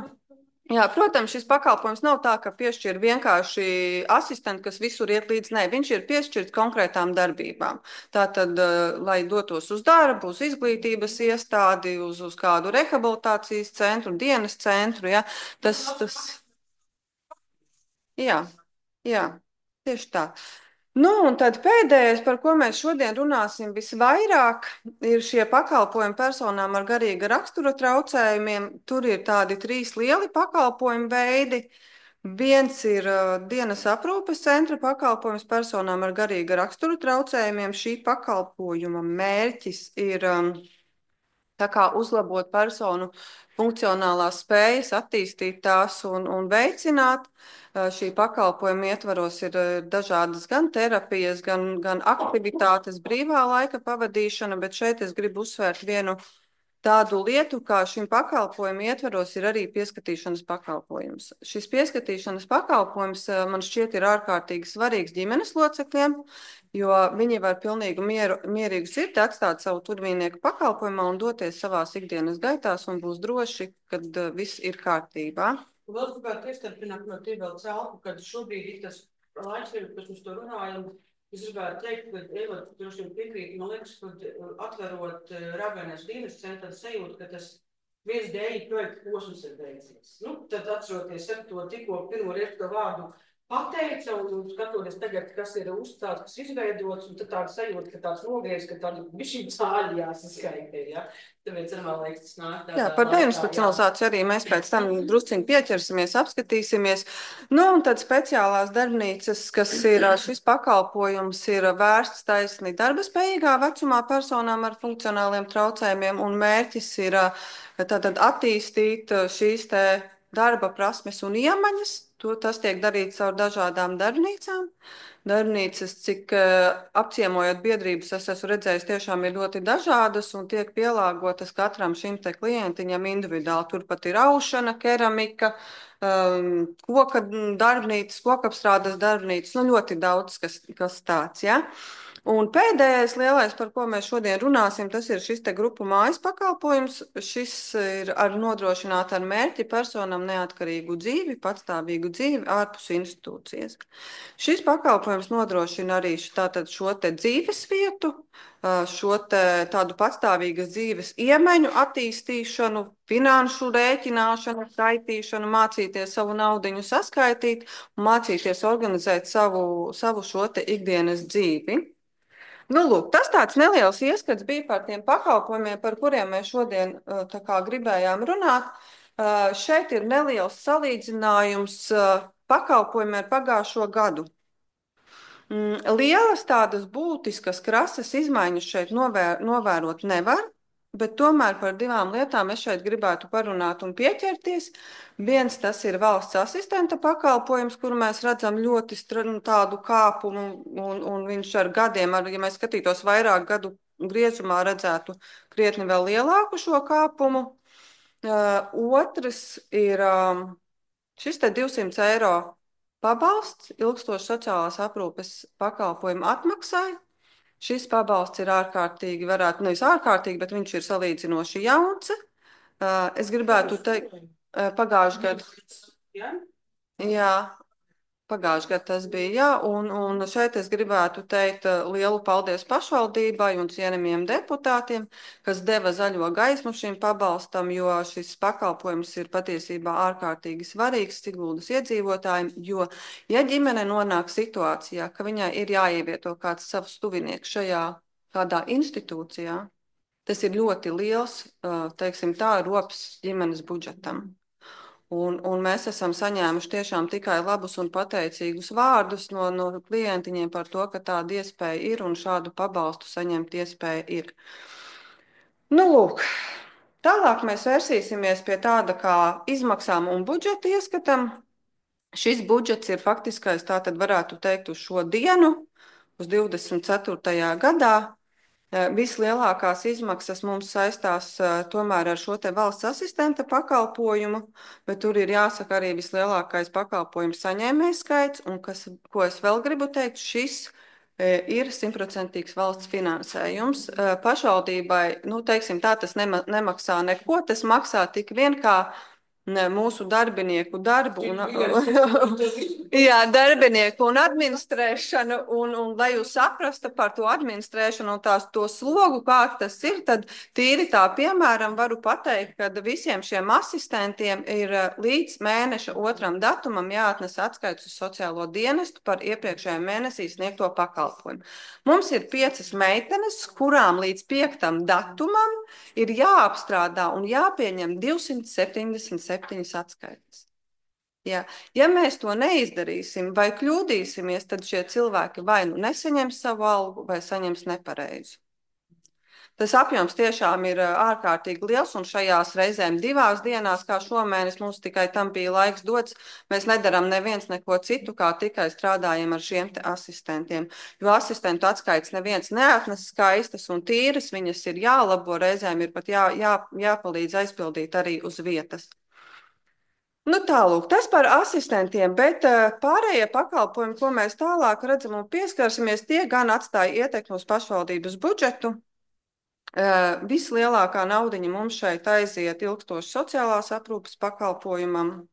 Jā, protams, šis pakalpojums nav tā, ka piešķir vienkārši asistentu, kas visur iet līdz. Nē, viņš ir piešķirts konkrētām darbībām. Tātad, lai dotos uz darbu, uz izglītības iestādi, uz kādu rehabilitācijas centru, dienas centru, ja, tas... Jā, tieši tā. Un tad pēdējais, par ko mēs šodien runāsim visvairāk, ir šie pakalpojumi personām ar garīga rakstura traucējumiem. Tur ir tādi 3 lieli pakalpojumu veidi. Viens ir dienas aprūpes centra pakalpojums personām ar garīga rakstura traucējumiem. Šī pakalpojuma mērķis ir uzlabot personu funkcionālās spējas, attīstīt tās un veicināt. Šī pakalpojuma ietvaros ir dažādas gan terapijas, gan aktivitātes, brīvā laika pavadīšana, bet šeit es gribu uzsvērt vienu tādu lietu, kā šim pakalpojumu ietvaros ir arī pieskatīšanas pakalpojums. Šis pieskatīšanas pakalpojums man šķiet ir ārkārtīgi svarīgs ģimenes locekļiem, jo viņi var pilnīgi mierīgu sirdi atstāt savu tuvīnieku pakalpojumā un doties savās ikdienas gaitās un būs droši, kad viss ir kārtībā. Vēl es gribētu iestarpināt no tie vēl celpu, kad šobrīd ir tas laiks, kas mums to runājam. Es gribētu teikt, ka Eva droši vien piekrīt, man liekas, ka atverot Ravenēs dienas centru sajūtu, ka tas viens dēļ projekta posms ir beidzies. Nu, tad atceroties ar to tikko pirmo reizi to vārdu pateica un skatoties tagad, kas ir uzstāts, kas izveidots, un tad tāda sajūta, ka tāds nogriez, ka tāda bišķiņ cāļi jāsaskaita, ja? Tāpēc ar man liekas, tas nāk tādā... Jā, par deinstitucionalizāciju arī mēs pēc tam drusciņi pieķersimies, apskatīsimies. Nu, un tad speciālās darbnīcas, kas ir šis pakalpojums, ir vērsts taisni darbaspējīgā vecumā personām ar funkcionāliem traucējumiem, un mērķis ir tātad attīstīt šīs te darba prasmes un iemaņas. Tas tiek darīts caur dažādām darbnīcām. Darbnīcas, cik apciemojot biedrības, es esmu redzējis, tiešām ir ļoti dažādas un tiek pielāgotas katram šim te klientiņam individuāli. Turpat ir aušana, keramika, koka darbnīcas, kokapstrādes darbnīcas, nu ļoti daudz, kas tāds, ja. Un pēdējais lielais, par ko mēs šodien runāsim, tas ir šis te grupu mājas pakalpojums. Šis ir nodrošināt ar mērķi personam neatkarīgu dzīvi, patstāvīgu dzīvi ārpus institūcijas. Šis pakalpojums nodrošina arī tātad šo te dzīves vietu, šo te tādu patstāvīgas dzīves iemaņu attīstīšanu, finanšu rēķināšanu, skaitīšanu, mācīties savu naudiņu saskaitīt un mācīties organizēt savu šo te ikdienas dzīvi. Nu, lūk, tas tāds neliels ieskats bija par tiem pakalpojumiem, par kuriem mēs šodien tā kā gribējām runāt. Šeit ir neliels salīdzinājums pakalpojumiem ar pagājušo gadu. Lielas tādas būtiskas krasas izmaiņas šeit novērot nevar, bet tomēr par divām lietām es šeit gribētu parunāt un pieķerties. Viens, tas ir valsts asistenta pakalpojums, kuru mēs redzam ļoti tādu kāpumu, un viņš ar gadiem, ja mēs skatītos vairāk gadu griezumā, redzētu krietni vēl lielāku šo kāpumu. Otrs ir šis te 200 eiro pabalsts ilgstoši sociālās aprūpes pakalpojumu atmaksai. Šis pabalsts ir ārkārtīgi, varētu nevis ārkārtīgi, bet viņš ir salīdzinoši jauns. Es gribētu teikt, pagājušajā gadā. Jā, pagājušajā gadā tas bija, jā, un šeit es gribētu teikt lielu paldies pašvaldībai un cienījamiem deputātiem, kas deva zaļo gaismu šim pabalstam, jo šis pakalpojums ir patiesībā ārkārtīgi svarīgs Siguldas iedzīvotājiem, jo, ja ģimene nonāk situācijā, ka viņai ir jāievieto kāds savs tuvinieks šajā kādā institūcijā, tas ir ļoti liels, teiksim tā, rops ģimenes budžetam. Un mēs esam saņēmuši tiešām tikai labus un pateicīgus vārdus no klientiņiem par to, ka tāda iespēja ir un šādu pabalstu saņemt iespēja ir. Nu, lūk, tālāk mēs vērsīsimies pie tāda kā izmaksām un budžeta ieskatam. Šis budžets ir faktiskais, tātad varētu teikt, uz šo dienu, uz 24. gadā. Vislielākās izmaksas mums saistās tomēr ar šo te valsts asistenta pakalpojumu, bet tur ir jāsaka arī vislielākais pakalpojums saņēmējs skaits, un ko es vēl gribu teikt, šis ir 100% valsts finansējums. Pašvaldībai, nu, teiksim tā, tas nemaksā neko, tas maksā tik vien kā mūsu darbinieku darbu un, jā, darbinieku un administrēšanu, un lai jūs saprastu par to administrēšanu un to slogu, kā tas ir, tad tīri tā, piemēram, varu pateikt, ka visiem šiem asistentiem ir līdz mēneša 2. datumam jāatnes atskaits uz sociālo dienestu par iepriekšējā mēnesī sniegto pakalpojumu. Mums ir 5 meitenes, kurām līdz 5. datumam ir jāapstrādā un jāpieņem 277 atskaites. Ja mēs to neizdarīsim vai kļūdīsimies, tad šie cilvēki vai nu nesaņems savu algu, vai saņems nepareizu. Tas apjoms tiešām ir ārkārtīgi liels, un šajās reizēm 2 dienās, kā šomēnes, mums tikai tam bija laiks dots, mēs nedaram neviens neko citu, kā tikai strādājam ar šiem te asistentiem. Jo asistentu atskaits neviens neatnes skaistas un tīras, viņas ir jālabo, reizēm ir pat jāpalīdz aizpildīt arī uz vietas. Nu tālūk, tas par asistentiem, bet pārējie pakalpojumi, ko mēs tālāk redzam un pieskarsimies, tie gan atstāja ietekmi uz pašvaldības budžetu. Vislielākā naudiņa mums šeit aiziet ilgstoši sociālās aprūpes pakalpojumam.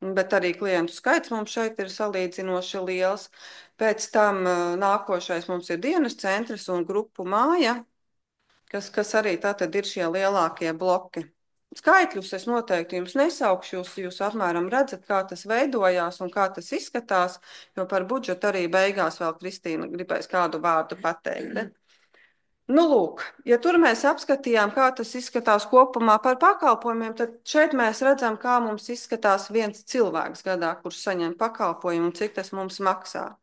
bet arī klientu skaits mums šeit ir salīdzinoši liels. Pēc tam nākošais mums ir dienas centrs un grupu māja, kas arī tātad ir šie lielākie bloki. Skaitļus es noteikti jums nesaukšu, jūs apmēram redzat, kā tas veidojās un kā tas izskatās, jo par budžetu arī beigās vēl Kristīna gribēs kādu vārdu pateikt. Nu, lūk, ja tur mēs apskatījām, kā tas izskatās kopumā par pakalpojumiem, tad šeit mēs redzam, kā mums izskatās viens cilvēks gadā, kurš saņem pakalpojumu un cik tas mums maksā.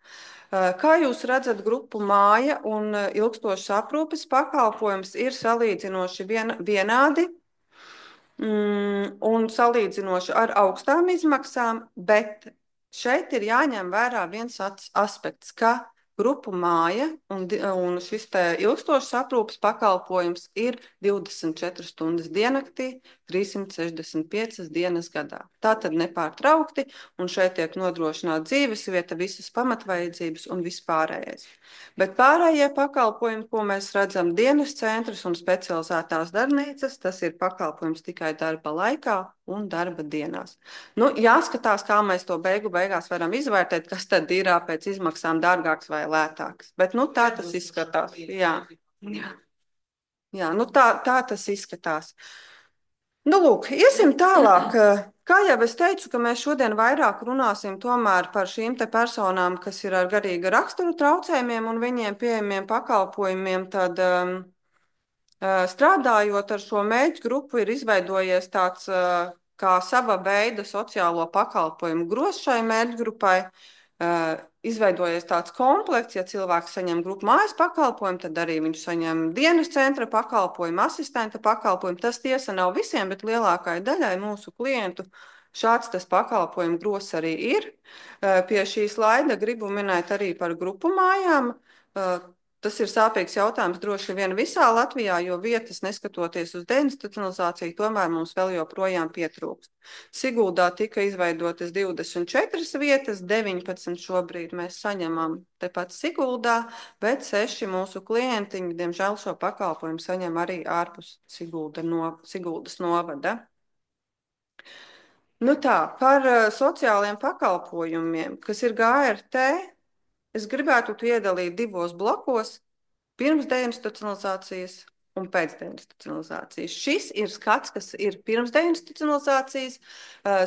Kā jūs redzat, grupu māja un ilgstošas aprūpes pakalpojums ir salīdzinoši vienādi un salīdzinoši ar augstām izmaksām, bet šeit ir jāņem vērā viens aspekts, ka grupu māja un šis te ilgstošas aprūpes pakalpojums ir 24 stundas diennaktī, 365 dienas gadā. Tā tad nepārtraukti, un šeit tiek nodrošināta dzīvesvieta, visas pamatvajadzības un vispārējais. Bet pārējie pakalpojumi, ko mēs redzam, dienas centrs un specializētās darbnīcas, tas ir pakalpojums tikai darba laikā un darba dienās. Nu, jāskatās, kā mēs to beigās varam izvērtēt, kas tad ir pēc izmaksām dārgāks vai lētāks. Bet nu, tā tas izskatās. Jā, nu, tā tas izskatās. Nu, lūk, iesim tālāk. Kā jau es teicu, ka mēs šodien vairāk runāsim tomēr par šīm te personām, kas ir ar garīga rakstura traucējumiem un viņiem pieejamiem pakalpojumiem, tad strādājot ar šo mērķu grupu ir izveidojies tāds kā sava veida sociālo pakalpojumu grozs šai mērķu grupai. Izveidojies tāds komplekts, ja cilvēks saņem grupu mājas pakalpojumu, tad arī viņš saņem dienas centra pakalpojumu, asistenta pakalpojumu. Tas tiesa nav visiem, bet lielākai daļai mūsu klientu šāds tas pakalpojumu grozs arī ir. Pie šī slaida gribu minēt arī par grupu mājām. Tas ir sāpīgs jautājums droši vien visā Latvijā, jo vietas, neskatoties uz deinstitucionalizāciju, tomēr mums vēl joprojām pietrūkst. Siguldā tika izveidotas 24 vietas, 19 šobrīd mēs saņemam tepat Siguldā, bet 6 mūsu klientiņi, diemžēl, šo pakalpojumu saņem arī ārpus Siguldas novada. Nu tā, par sociāliem pakalpojumiem, kas ir GRT, es gribētu iedalīt divos blokos - pirms deinstitucionalizācijas un pēc deinstitucionalizācijas. Šis ir skats, kas ir pirms deinstitucionalizācijas.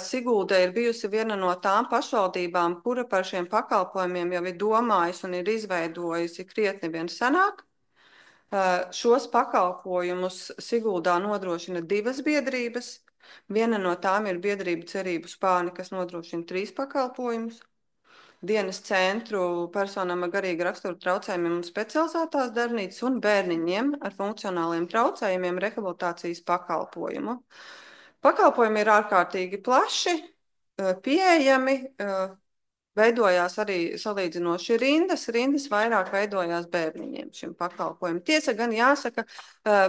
Sigulda ir bijusi viena no tām pašvaldībām, kura par šiem pakalpojumiem jau ir domājusi un ir izveidojusi krietni vien senāk. Šos pakalpojumus Siguldā nodrošina divas biedrības. Viena no tām ir biedrība Cerību Spāni, kas nodrošina 3 pakalpojumus. Dienas centru personām ar garīga rakstura traucējumiem un specializētās darbnīcas un bērniņiem ar funkcionāliem traucējumiem rehabilitācijas pakalpojumu. Pakalpojumi ir ārkārtīgi plaši, pieejami, veidojās arī salīdzinoši rindas vairāk veidojās bērniņiem šim pakalpojumam. Tiesa gan jāsaka,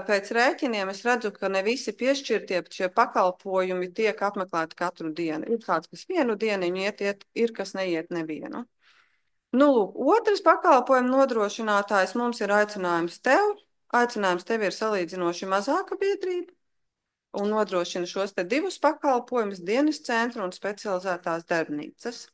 pēc rēķiniem es redzu, ka ne visi piešķirtie šie pakalpojumi tiek apmeklēti katru dienu. Ir kāds, kas vienu dieniņu iet, ir kas neiet nevienu. Nu, lūk, otrs pakalpojumu nodrošinātājs mums ir aicinājums tev. Aicinājums tev ir salīdzinoši mazāka biedrība un nodrošina šos te divus pakalpojumus, dienas centru un specializētās darbnīcas.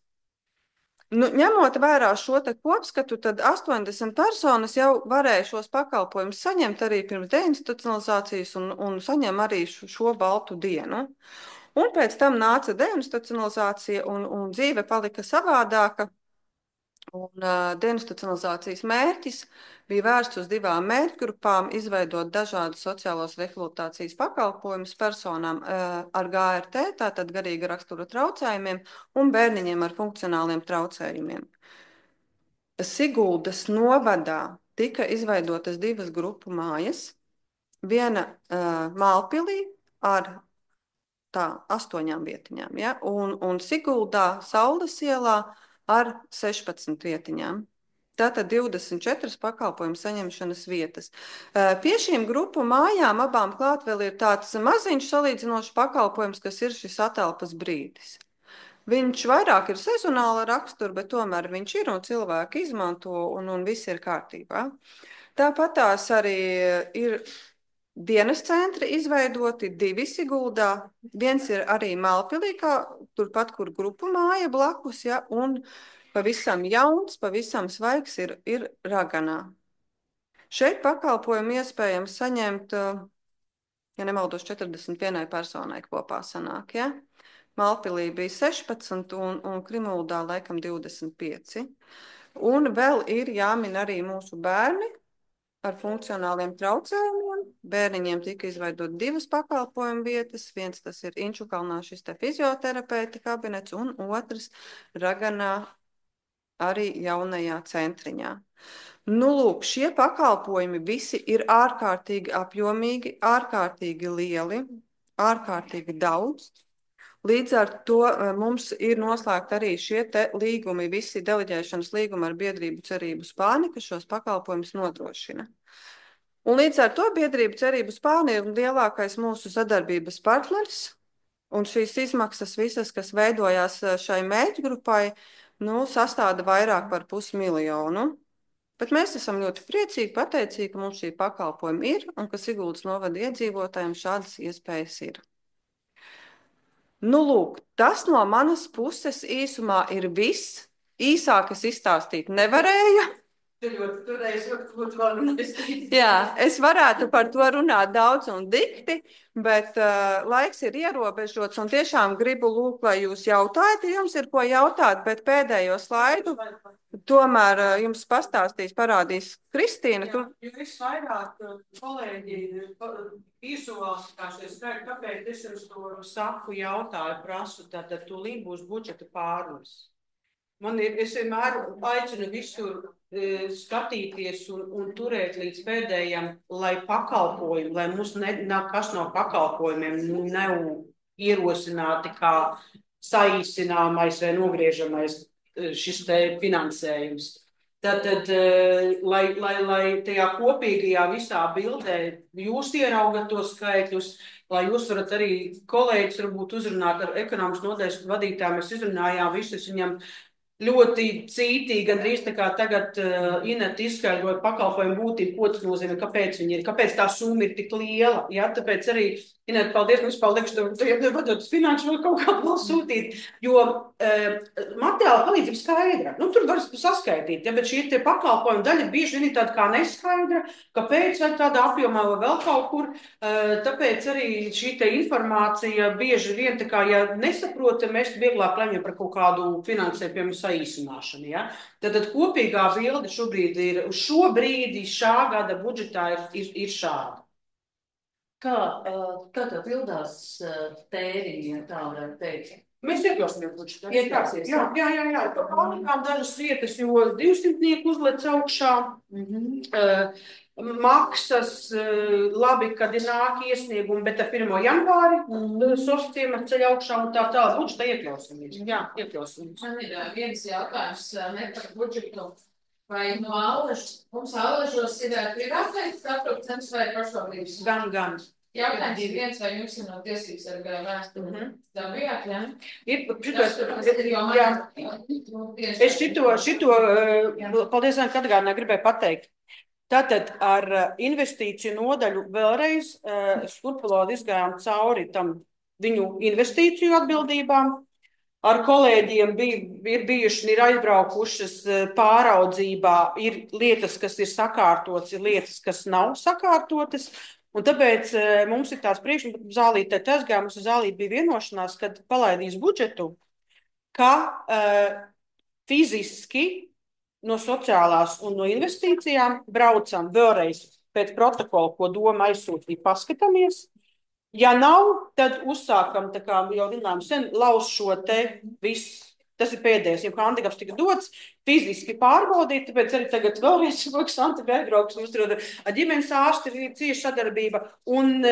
Nu, ņemot vērā šo te kopskatu, tad 80 personas jau varēja šos pakalpojumus saņemt arī pirms deinstitucionalizācijas un saņem arī šo baltu dienu. Un pēc tam nāca deinstitucionalizācija un dzīve palika savādāka. Un deinstitucionalizācijas mērķis bija vērsts uz 2 mērķgrupām, izveidot dažādus sociālos rehabilitācijas pakalpojumus personām ar GRT, tātad garīga rakstura traucējumiem, un bērniņiem ar funkcionāliem traucējumiem. Siguldas novadā tika izveidotas 2 grupu mājas, viena Mālpilī ar 8 vietiņām, ja? un Siguldā Saules ielā ar 16 vietiņām. Tātad 24 pakalpojumu saņemšanas vietas. Pie šīm grupu mājām abām klāt vēl ir tāds maziņš salīdzinošs pakalpojums, kas ir šis atelpas brīdis. Viņš vairāk ir sezonāla rakstura, bet tomēr viņš ir un cilvēki izmanto un viss ir kārtībā. Tāpat tās arī ir dienas centri izveidoti, 2 Siguldā, 1 ir arī Mālpilī, turpat, kur grupu māja blakus, ja, un pavisam jauns, pavisam svaigs ir Raganā. Šeit pakalpojumu iespējams saņemt, ja nemaldos, 41 personai kopā sanāk, ja. Mālpilī bija 16 un Krimuldā laikam 25. Un vēl ir jāmin arī mūsu bērni ar funkcionāliem traucējumiem. Bērniņiem tika izveidot 2 pakalpojumu vietas. Viens tas ir Inčukalnā šis te fizioterapeita kabinets un otrs Raganā arī jaunajā centriņā. Nu, lūk, šie pakalpojumi visi ir ārkārtīgi apjomīgi, ārkārtīgi lieli, ārkārtīgi daudz. Līdz ar to mums ir noslēgti arī šie te līgumi, visi deleģēšanas līgumi ar biedrību Cerību Spāni, kas šos pakalpojumus nodrošina. Un līdz ar to biedrību Cerību Spāni ir lielākais mūsu sadarbības partners, un šīs izmaksas visas, kas veidojās šai mērķgrupai, sastāda vairāk par 500 000. Bet mēs esam ļoti priecīgi, pateicīgi, ka mums šī pakalpojuma ir, un ka Siguldas novada iedzīvotājiem šādas iespējas ir. Nu, lūk, tas no manas puses īsumā ir viss. Īsāk es izstāstīt nevarēju. Jā, es varētu par to runāt daudz un dikti, bet laiks ir ierobežots un tiešām gribu lūgt, lai jūs jautājat, ja jums ir ko jautāt, bet pēdējo slaidu tomēr jums pastāstīs, parādīs Kristīna. Jo es vairāk, kolēģi, izolāsies, kāpēc es jums to saku, jautāju, prasu, tātad tūlīt būs budžeta pārnes. Es vienmēr aicinu visur skatīties un turēt līdz pēdējam, lai pakalpojumi, lai mums kas no pakalpojumiem nav ierosināti kā saīsināmais vai nogriežamais šis te finansējums. Tātad, lai tajā kopīgajā visā bildē jūs ieraugat tos skaitļus, lai jūs varat arī kolēģis varbūt uzrunāt ar ekonomikas nodaļas vadītājiem, mēs izrunājām visus viņam ļoti cītīgi, gandrīz tā kā tagad Ineta izskaidroja pakalpojumu būtību, ko tas nozīmē, kāpēc viņi ir, kāpēc tā summa ir tik liela. Ja? Tāpēc arī, Ineta, paldies, mums paldies, ka tu vadot uz finanšu vēl kaut kā vēl sūtīt, jo materiāla palīdzība skaidra. Tur var saskaitīt, ja? Bet šī te pakalpojuma daļa bieži vien ir tāda kā neskaidra, kāpēc vai tādā apjomā vai vēl kaut kur. Tāpēc arī šī te informācija bieži vien, tā kā, ja nesaprota, mēs vieglāk lemjam par kaut kādu finansējumu, piemēram, saīsināšanu. Ja? Tad kopīgā bilde šobrīd ir, uz šo brīdi šā gada budžetā ir šāda. Kā tā pildās tēriņi, ja tā varētu teikt? Mēs iekļausimies budžetā. Jā. Pārlikām dažas vietas, jo 200 uzlec augšā. Maksas, labi, kad ir nāk iesniegumi, bet ar 1. janvāri sociem ar ceļu augšā un tā tālāk budžetā iekļausimies. Jā, iekļausimies. Man ir viens jautājums ne par budžetu. Vai no Aležas, mums Aležos ir privātais aprūpes vai pašvaldības? Gan. Jautājums ir viens, vai jums ir no tiesības ar vēsturi? Tā bijāt, jā? Es šito, paldies, ka atgādināju, gribēju pateikt. Tātad ar investīciju nodaļu vēlreiz skurpulādi izgājām cauri tam viņu investīciju atbildībām. Ar kolēģiem ir bijuši, ir aizbraukušas pāraudzībā, ir lietas, kas ir sakārtotas, ir lietas, kas nav sakārtotas. Un tāpēc mums ir tāds Zālītē aizgāja, mums Zālīte bija vienošanās, kad palaidīs budžetu, ka fiziski no sociālās un no investīcijām braucam vēlreiz pēc protokola, ko doma aizsūtīja, paskatāmies. Ja nav, tad uzsākam, tā kā jau runājam sen, lauz šo te visu. Tas ir pēdējais, jo handikaps tika dots, fiziski pārbaudīt, tāpēc arī tagad vēlreiz Santa Bērbrauks mums tur ar ģimenes ārsti ir cieša sadarbība un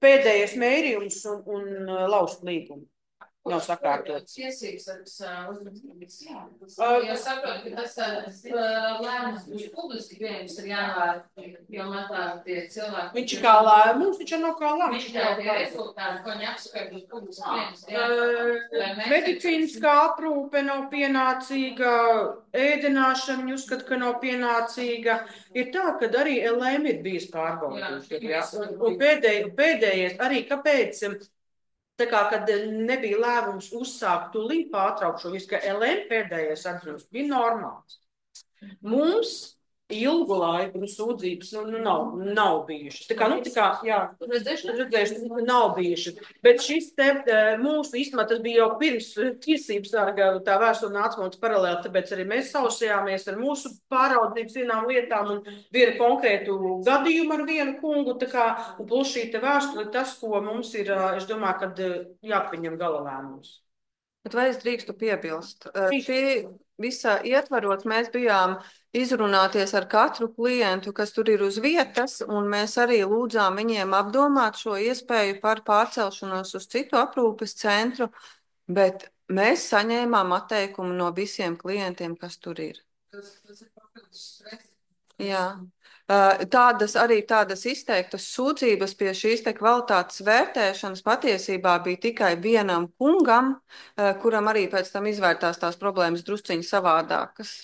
pēdējais mērījums un laust līgumu. nav sakārtots. Tiesības uzrakstības. Jo saprotu, ka tas lēmums būs publiski pieejams ar janvāru, jo man tā tie cilvēki. Viņš ir kā lēmums, viņš nav kā lēmums. Viņš ir tie rezultāti, ko viņi apskata, būs publiski pieejams. Medicīniskā aprūpe nav pienācīga, ēdināšana viņi uzskata, ka nav pienācīga. Ir tā, ka arī LM ir bijis pārbaudīts. Un pēdējais arī, kāpēc? Tā kā, kad nebija lēmums uzsākt tūlīt pārtraukt šo visu, ka LM pēdējais atzinums bija normāls. Mums ilgu laiku sūdzības nav bijušas. Tā kā, jā, redzējuši, nav bijušas. Bet šis te mūsu īstenībā tas bija jau pirms tiesības sarga tā vēstule nāca mums paralēli, tāpēc arī mēs sausējāmies ar mūsu pāraudzības vienām lietām un vienu konkrētu gadījumu ar vienu kungu, tā kā, un plus šī te vēstule tas, ko mums ir, es domāju, kad jāpieņem gala lēmums. Bet vai es drīkstu piebilst? Šī visā ietvarot mēs bijām izrunāties ar katru klientu, kas tur ir uz vietas, un mēs arī lūdzām viņiem apdomāt šo iespēju par pārcelšanos uz citu aprūpes centru, bet mēs saņēmām atteikumu no visiem klientiem, kas tur ir. Jā. Tādas izteiktas sūdzības pie šīs te kvalitātes vērtēšanas patiesībā bija tikai vienam kungam, kuram arī pēc tam izvērtās tās problēmas drusciņi savādākas.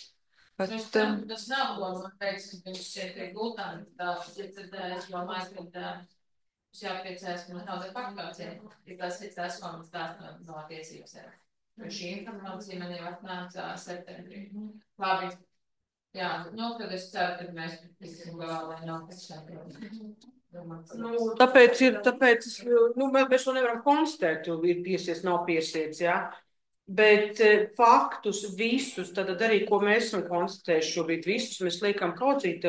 Bet, tas nav, ko man teiks, ka viņš šeit ir gultāni, es domāju, ka mums jāpriecājas, ka mums nav tā pakāpcija, ja tas ir tas, ko mums tās no tiesības ir. Šī informācija man jau atnāca septembrī. Labi. Jā, tad es ceru, ka mēs lai nav kas tāpēc mēs to nevaram konstatēt, jo ir piesiets, nav piesiets, jā. Bet faktus visus, tad arī, ko mēs esam konstatējuši šobrīd, visus mēs liekam kaudzīt.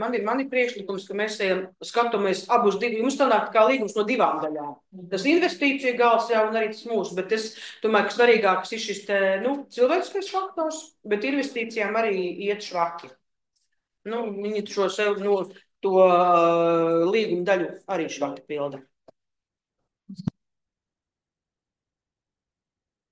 Man ir priekšlikums, ka mēs skatāmies abus divi, mums sanāk kā līgums no divām daļām. Tas investīcija gals jau un arī tas mūsu, bet es domāju, ka svarīgāks ir šis cilvēciskais faktors, bet investīcijām arī iet švaki. Viņi šo sev to līguma daļu arī švaki pilda.